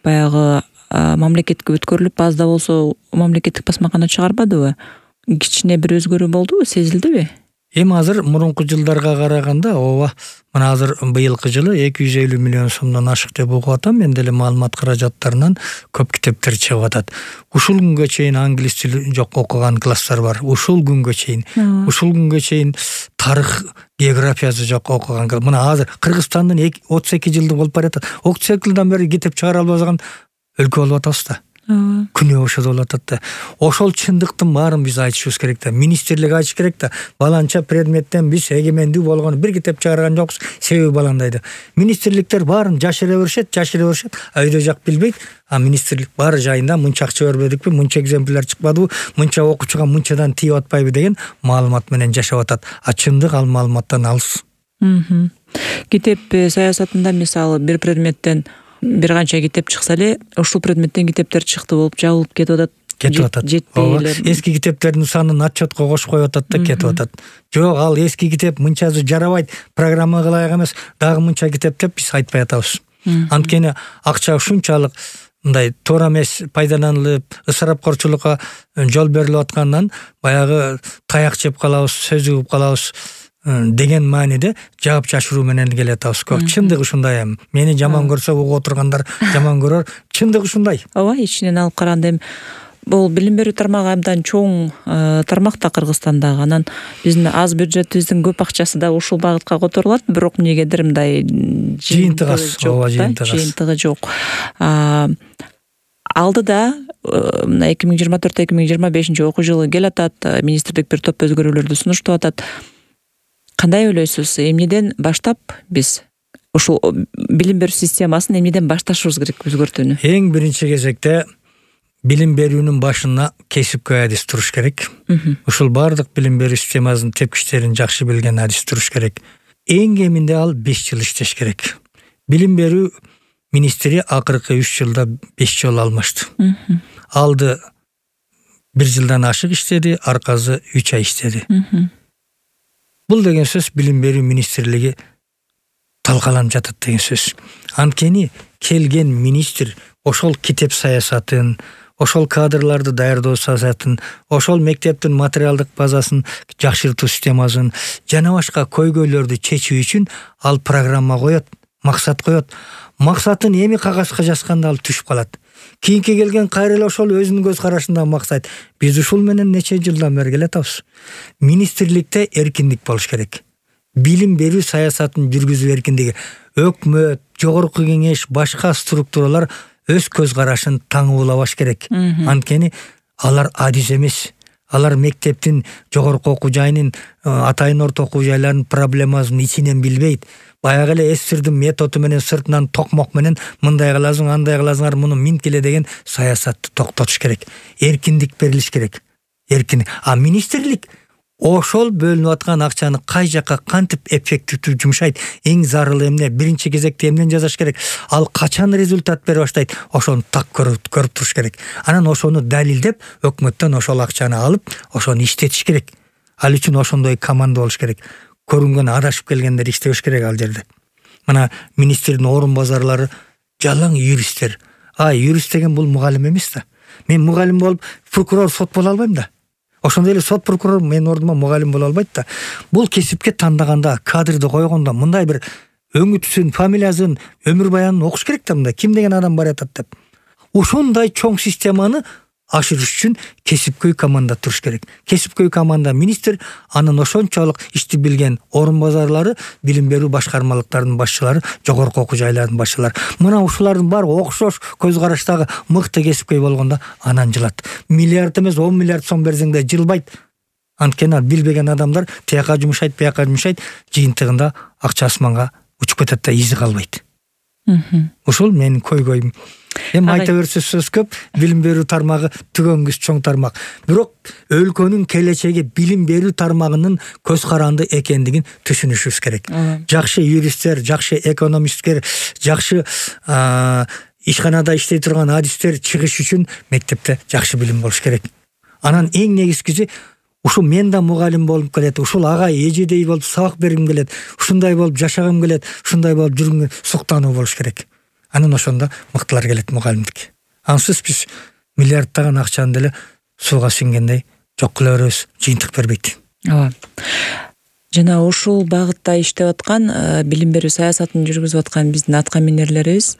баягы мамлекетке өткөрүлүп, аз да болсо мамлекеттик басмакана чыгарбадыбы? Кичине бир өзгөрүү болдубу, сезилдиби? Эми азыр мурунку жылдарга караганда ооба, мына азыр быйылкы жылы 250 миллион сомдон ашык деп угуп атам. Мен деле маалымат каражаттарынан көп китептер чыгып атат. Ушул күнгө чейин англис тили жок окуган класстар бар. Ушул күнгө чейин тарых, географиясы жок окуган. Мына азыр Кыргызстандын 32 жылдык болуп баратат. 32 жылдан бери китеп чыгара албаган өлкө болуп атабыз да. Күнөө ошо болуп атат да. Ошол чындыктын баарын биз айтышыбыз керек да. Министрлик айтыш керек да. Баланча предметтен биз эгемендүү болгон бир китеп чыгарган жокпуз. Себеби баландайды. Министрликтер баарын жашыра беришет. Өйдө жак билбейт. А министрлик баары жайында мынча акча бербедикпи, мынча экземпляр чыкпадыбы, мынча окуучуга мынчадан тийип атпайбы деген маалымат менен жашап атат. А чындык ал маалыматтан алыс. Китеп саясатында мисалы бир предметтен бир канча китеп чыкса эле, ушул предметтен китептер чыкты болуп жабылып кетип атат. Жетпей эле. Эски китептердин санын отчетко кошуп коюп атат да кетип атат. Жок, ал эски китеп мынчасы жарабайт, программага ылайык эмес, дагы мынча китеп деп биз айтпай атабыз. Анткени акча ушунчалык мындай туура эмес пайдаланылып, ысырапкорчулукка жол берилип аткандан баягы таяк жеп калабыз, сөз угуп калабыз деген мааниде жаап жашыруу менен келе атабыз. Чындык ушундай эми. Мени жаман көрсө угуп отургандар жаман көрөр. Чындык ушундай. Ооба, ичинен алып караганда эми бул билим берүү тармагы абдан чоң тармак да Кыргызстандагы. Анан биздин аз бюджетибиздин көп акчасы да ушул багытка которулат, бирок эмнегедир мындай жыйынтыгы жок. Алдыда мына 2024-2025 окуу жылы келатат, министрлик бир топ өзгөрүүлөрдү сунуштап атат. Кандай ойлойсуз? Эмнеден баштап биз ушул билим берүү системасын эмнеден башташыбыз керек өзгөртүүнү? Эң биринчи кезекте билим берүүнүн башына кесипкөй адис туруш керек. Ушул бардык билим берүү системасынын тепкичтерин жакшы билген адис туруш керек. Эң кеминде ал 5 жыл иштеш керек. Билим берүү министри акыркы 3 жылда 5 жолу алмашты. Алды 1 жылдан ашык иштеди, аркасы 3 ай иштеди. Бул деген сөз билим берүү министрлиги талкаланып жатат деген сөз. Анткени келген министр ошол китеп саясатын, ошол кадрларды даярдоо саясатын, ошол мектептин материалдык базасын жакшыртуу системасын жана башка көйгөйлөрдү чечүү үчүн ал программа коет, максат коет. Максатын эми кагазга жазганда ал түшүп калат. Кийинки келген кайра эле ошол өзүнүн көз карашында максат. Биз ушул менен нече жылдан бери келатабыз. Министрликте эркиндик болуш керек. Билим берүү саясатын жүргүзүү эркиндиги. Өкмөт, жогорку кеңеш, башка структуралар өз көз карашын таңуулабаш керек. Анткени алар адис эмес. Алар мектептин, жогорку окуу жайынын, атайын орто окуу жайларынын проблемасын ичинен билбейт. Баягы эле эсирдин методу менен сыртынан токмок менен мындай кыласың, андай кыласыңар, муну минткиле деген саясатты токтотуш керек. Эркиндик берилиш керек. Эркиндик. А министрлик ошол бөлүнүп аткан акчаны кай жакка кантип эффективдүү жумшайт, эң зарыл эмне, биринчи кезекте эмнени жасаш керек, ал качан результат бере баштайт, ошону так көрүп туруш керек. Анан ошону далилдеп, өкмөттөн ошол акчаны алып, ошону иштетиш керек. Ал үчүн ошондой команда болуш керек. Көрүнгөн адашып келгендер иштебеш керек ал жерде. Мына министрдин орун базарлары жалаң юристтер. Юрист деген бул мугалим эмес да. Мен мугалим болуп, прокурор, сот боло албайм да. Ошондой эле сот, прокурор менин ордума мугалим боло албайт да. Бул кесипке тандаганда, кадрды койгондо мындай бир өңүтүсүн, фамилиясын, өмүр баянын окуш керек да, мындай ким деген адам бар атат деп. Ошондой чоң системаны ашырыш үчүн кесипкөй команда туруш керек. Кесипкөй команда министр, анын ошончолук ишти билген орун базарлары, билим берүү башкармалыктарынын башчылары, жогорку окуу жайлардын башчылары. Мына ушулардын баары окшош көз караштагы мыкты кесипкөй болгондо анан жылат. Миллиард эмес 10 миллиард сом берсең да жылбайт. Анткени билбеген адамдар тияка жумшайт, бияка жумшайт, жыйынтыгында акча асманга учуп кетет да, изи калбайт. Ушул менин көйгөйүм. Эми айта берсе сөз көп, билим берүү тармагы түгөнгүс чоң тармак. Бирок өлкөнүн келечеги билим берүү тармагынын көз каранды экендигин түшүнүшүбүз керек. Жакшы юристтер, жакшы экономисттер, жакшы ишканада иштей турган адистер чыгыш үчүн мектепте жакшы билим болуш керек. Анан эң негизгиси ушул мен да мугалим болуп келет, ушул агай эжедей болуп сабак бергим келет, ушундай болуп жашагым келет, ушундай болуп жүргүм суктануу болуш керек. Анан ошондо мыктылар келет мугалимдикке. Ансыз биз миллиардтаган акчаны деле сууга сиңгендей жок кыла беребиз, жыйынтык бербейт. Ооба. Жана ушул багытта иштеп аткан, билим берүү саясатын жүргүзүп аткан биздин аткаминерлерибиз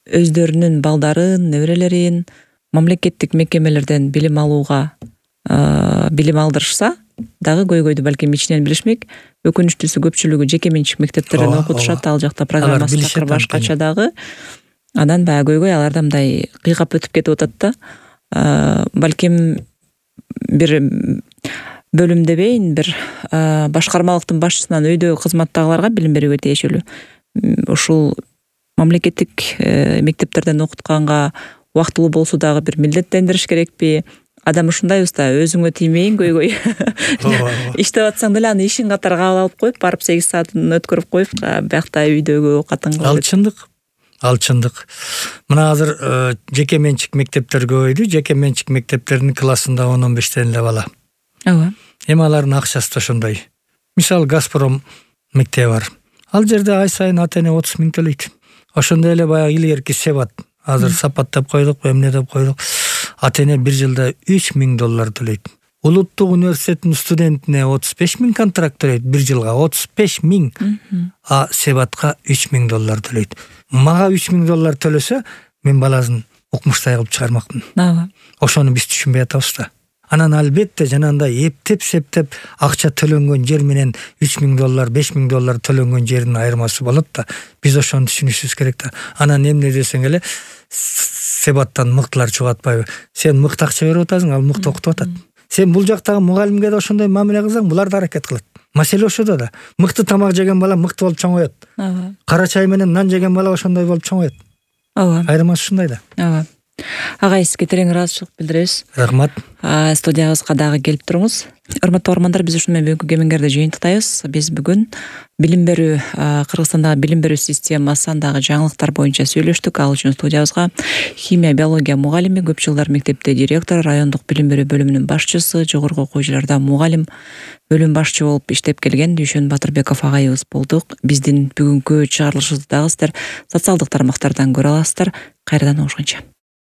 өздөрүнүн балдарын, неберелерин мамлекеттик мекемелерден билим алууга билим алдырышса дагы көйгөйдү балким ичинен билишмек. Өкүнүчтүүсү көпчүлүгү жеке менчик мектептерден окутушат, ал жакта программасы такыр башкача дагы. Анан баягы көйгөй аларда мындай кыйгап өтүп кетип атат да. Балким бир бөлүм дебейин, бир башкармалыктын башчысынан өйдө кызматтагыларга билим берүүгө тиешелүү. Ушул мамлекеттик мектептерден окутканга убактылуу болсо дагы бир милдеттендириш керекпи? Адам ушундай уста, өзүңө тиймейин көйгөй. Иштеп атсаң деле аны ишин катары кабыл алып коюп, барып 8 саатын өткөрүп коюп, биякта үйдөгү оокатын кылып. Ал чындык. Мына азыр жеке менчик мектептер көбөйдү. Жеке менчик мектептердин классында 10-15 эле бала. Ооба. Эми алардын акчасы да ошондой. Мисалы Газпром мектеби бар. Ал жерде ай сайын ата-эне 30 миң төлөйт. Ошондой эле баягы илгерки Себат. Азыр Сапат деп койдук, эмне деп койдук. Ата-эне бир жылда $3,000 төлөйт. Улуттук университеттин студентине 35 миң контракт төлөйт, бир жылга 35 миң. А Себатка $3,000 төлөйт. Мага $3,000 төлөсө, мен баласын укмуштай кылып чыгармакмын. Ооба. Ошону биз түшүнбөй атабыз да. Анан албетте жанагындай эптеп-септеп акча төлөнгөн жер менен $3,000, $5,000 төлөнгөн жердин айырмасы болот да. Биз ошону түшүнүшүбүз керек да. Анан эмне десең эле Себаттан мыктылар чыгып атпайбы? Сен мыкты акча берип атасың, ал мыкты окутуп атат. Сен бул жактагы мугалимге да ошондой мамиле кылсаң, булар да аракет кылат. Маселе ошодо да. Мыкты тамак жеген бала мыкты болуп чоңоет. Ооба. Кара чай менен нан жеген бала ошондой болуп чоңоет. Ооба. Айырмасы ушундай да. Ооба. Агай, сизге терең ыраазычылык билдиребиз. Рахмат. Студиябызга дагы келип туруңуз. Урматтуу угармандар, биз ушуну менен бүгүнкү кемеңгерди жыйынтыктайбыз. Биз бүгүн билим берүү, Кыргызстандагы билим берүү системасындагы жаңылыктар боюнча сүйлөштүк. Ал үчүн студиябызга химия, биология мугалими, көп жылдар мектепте директор, райондук билим берүү бөлүмүнүн башчысы, жогорку окуу жайларда мугалим, бөлүм башчы болуп иштеп келген Дүйшөн Батырбеков агайыбыз болдук. Биздин бүгүнкү чыгарылышыбызды дагы сиздер социалдык тармактардан көрө аласыздар. Кайрадан угушканча.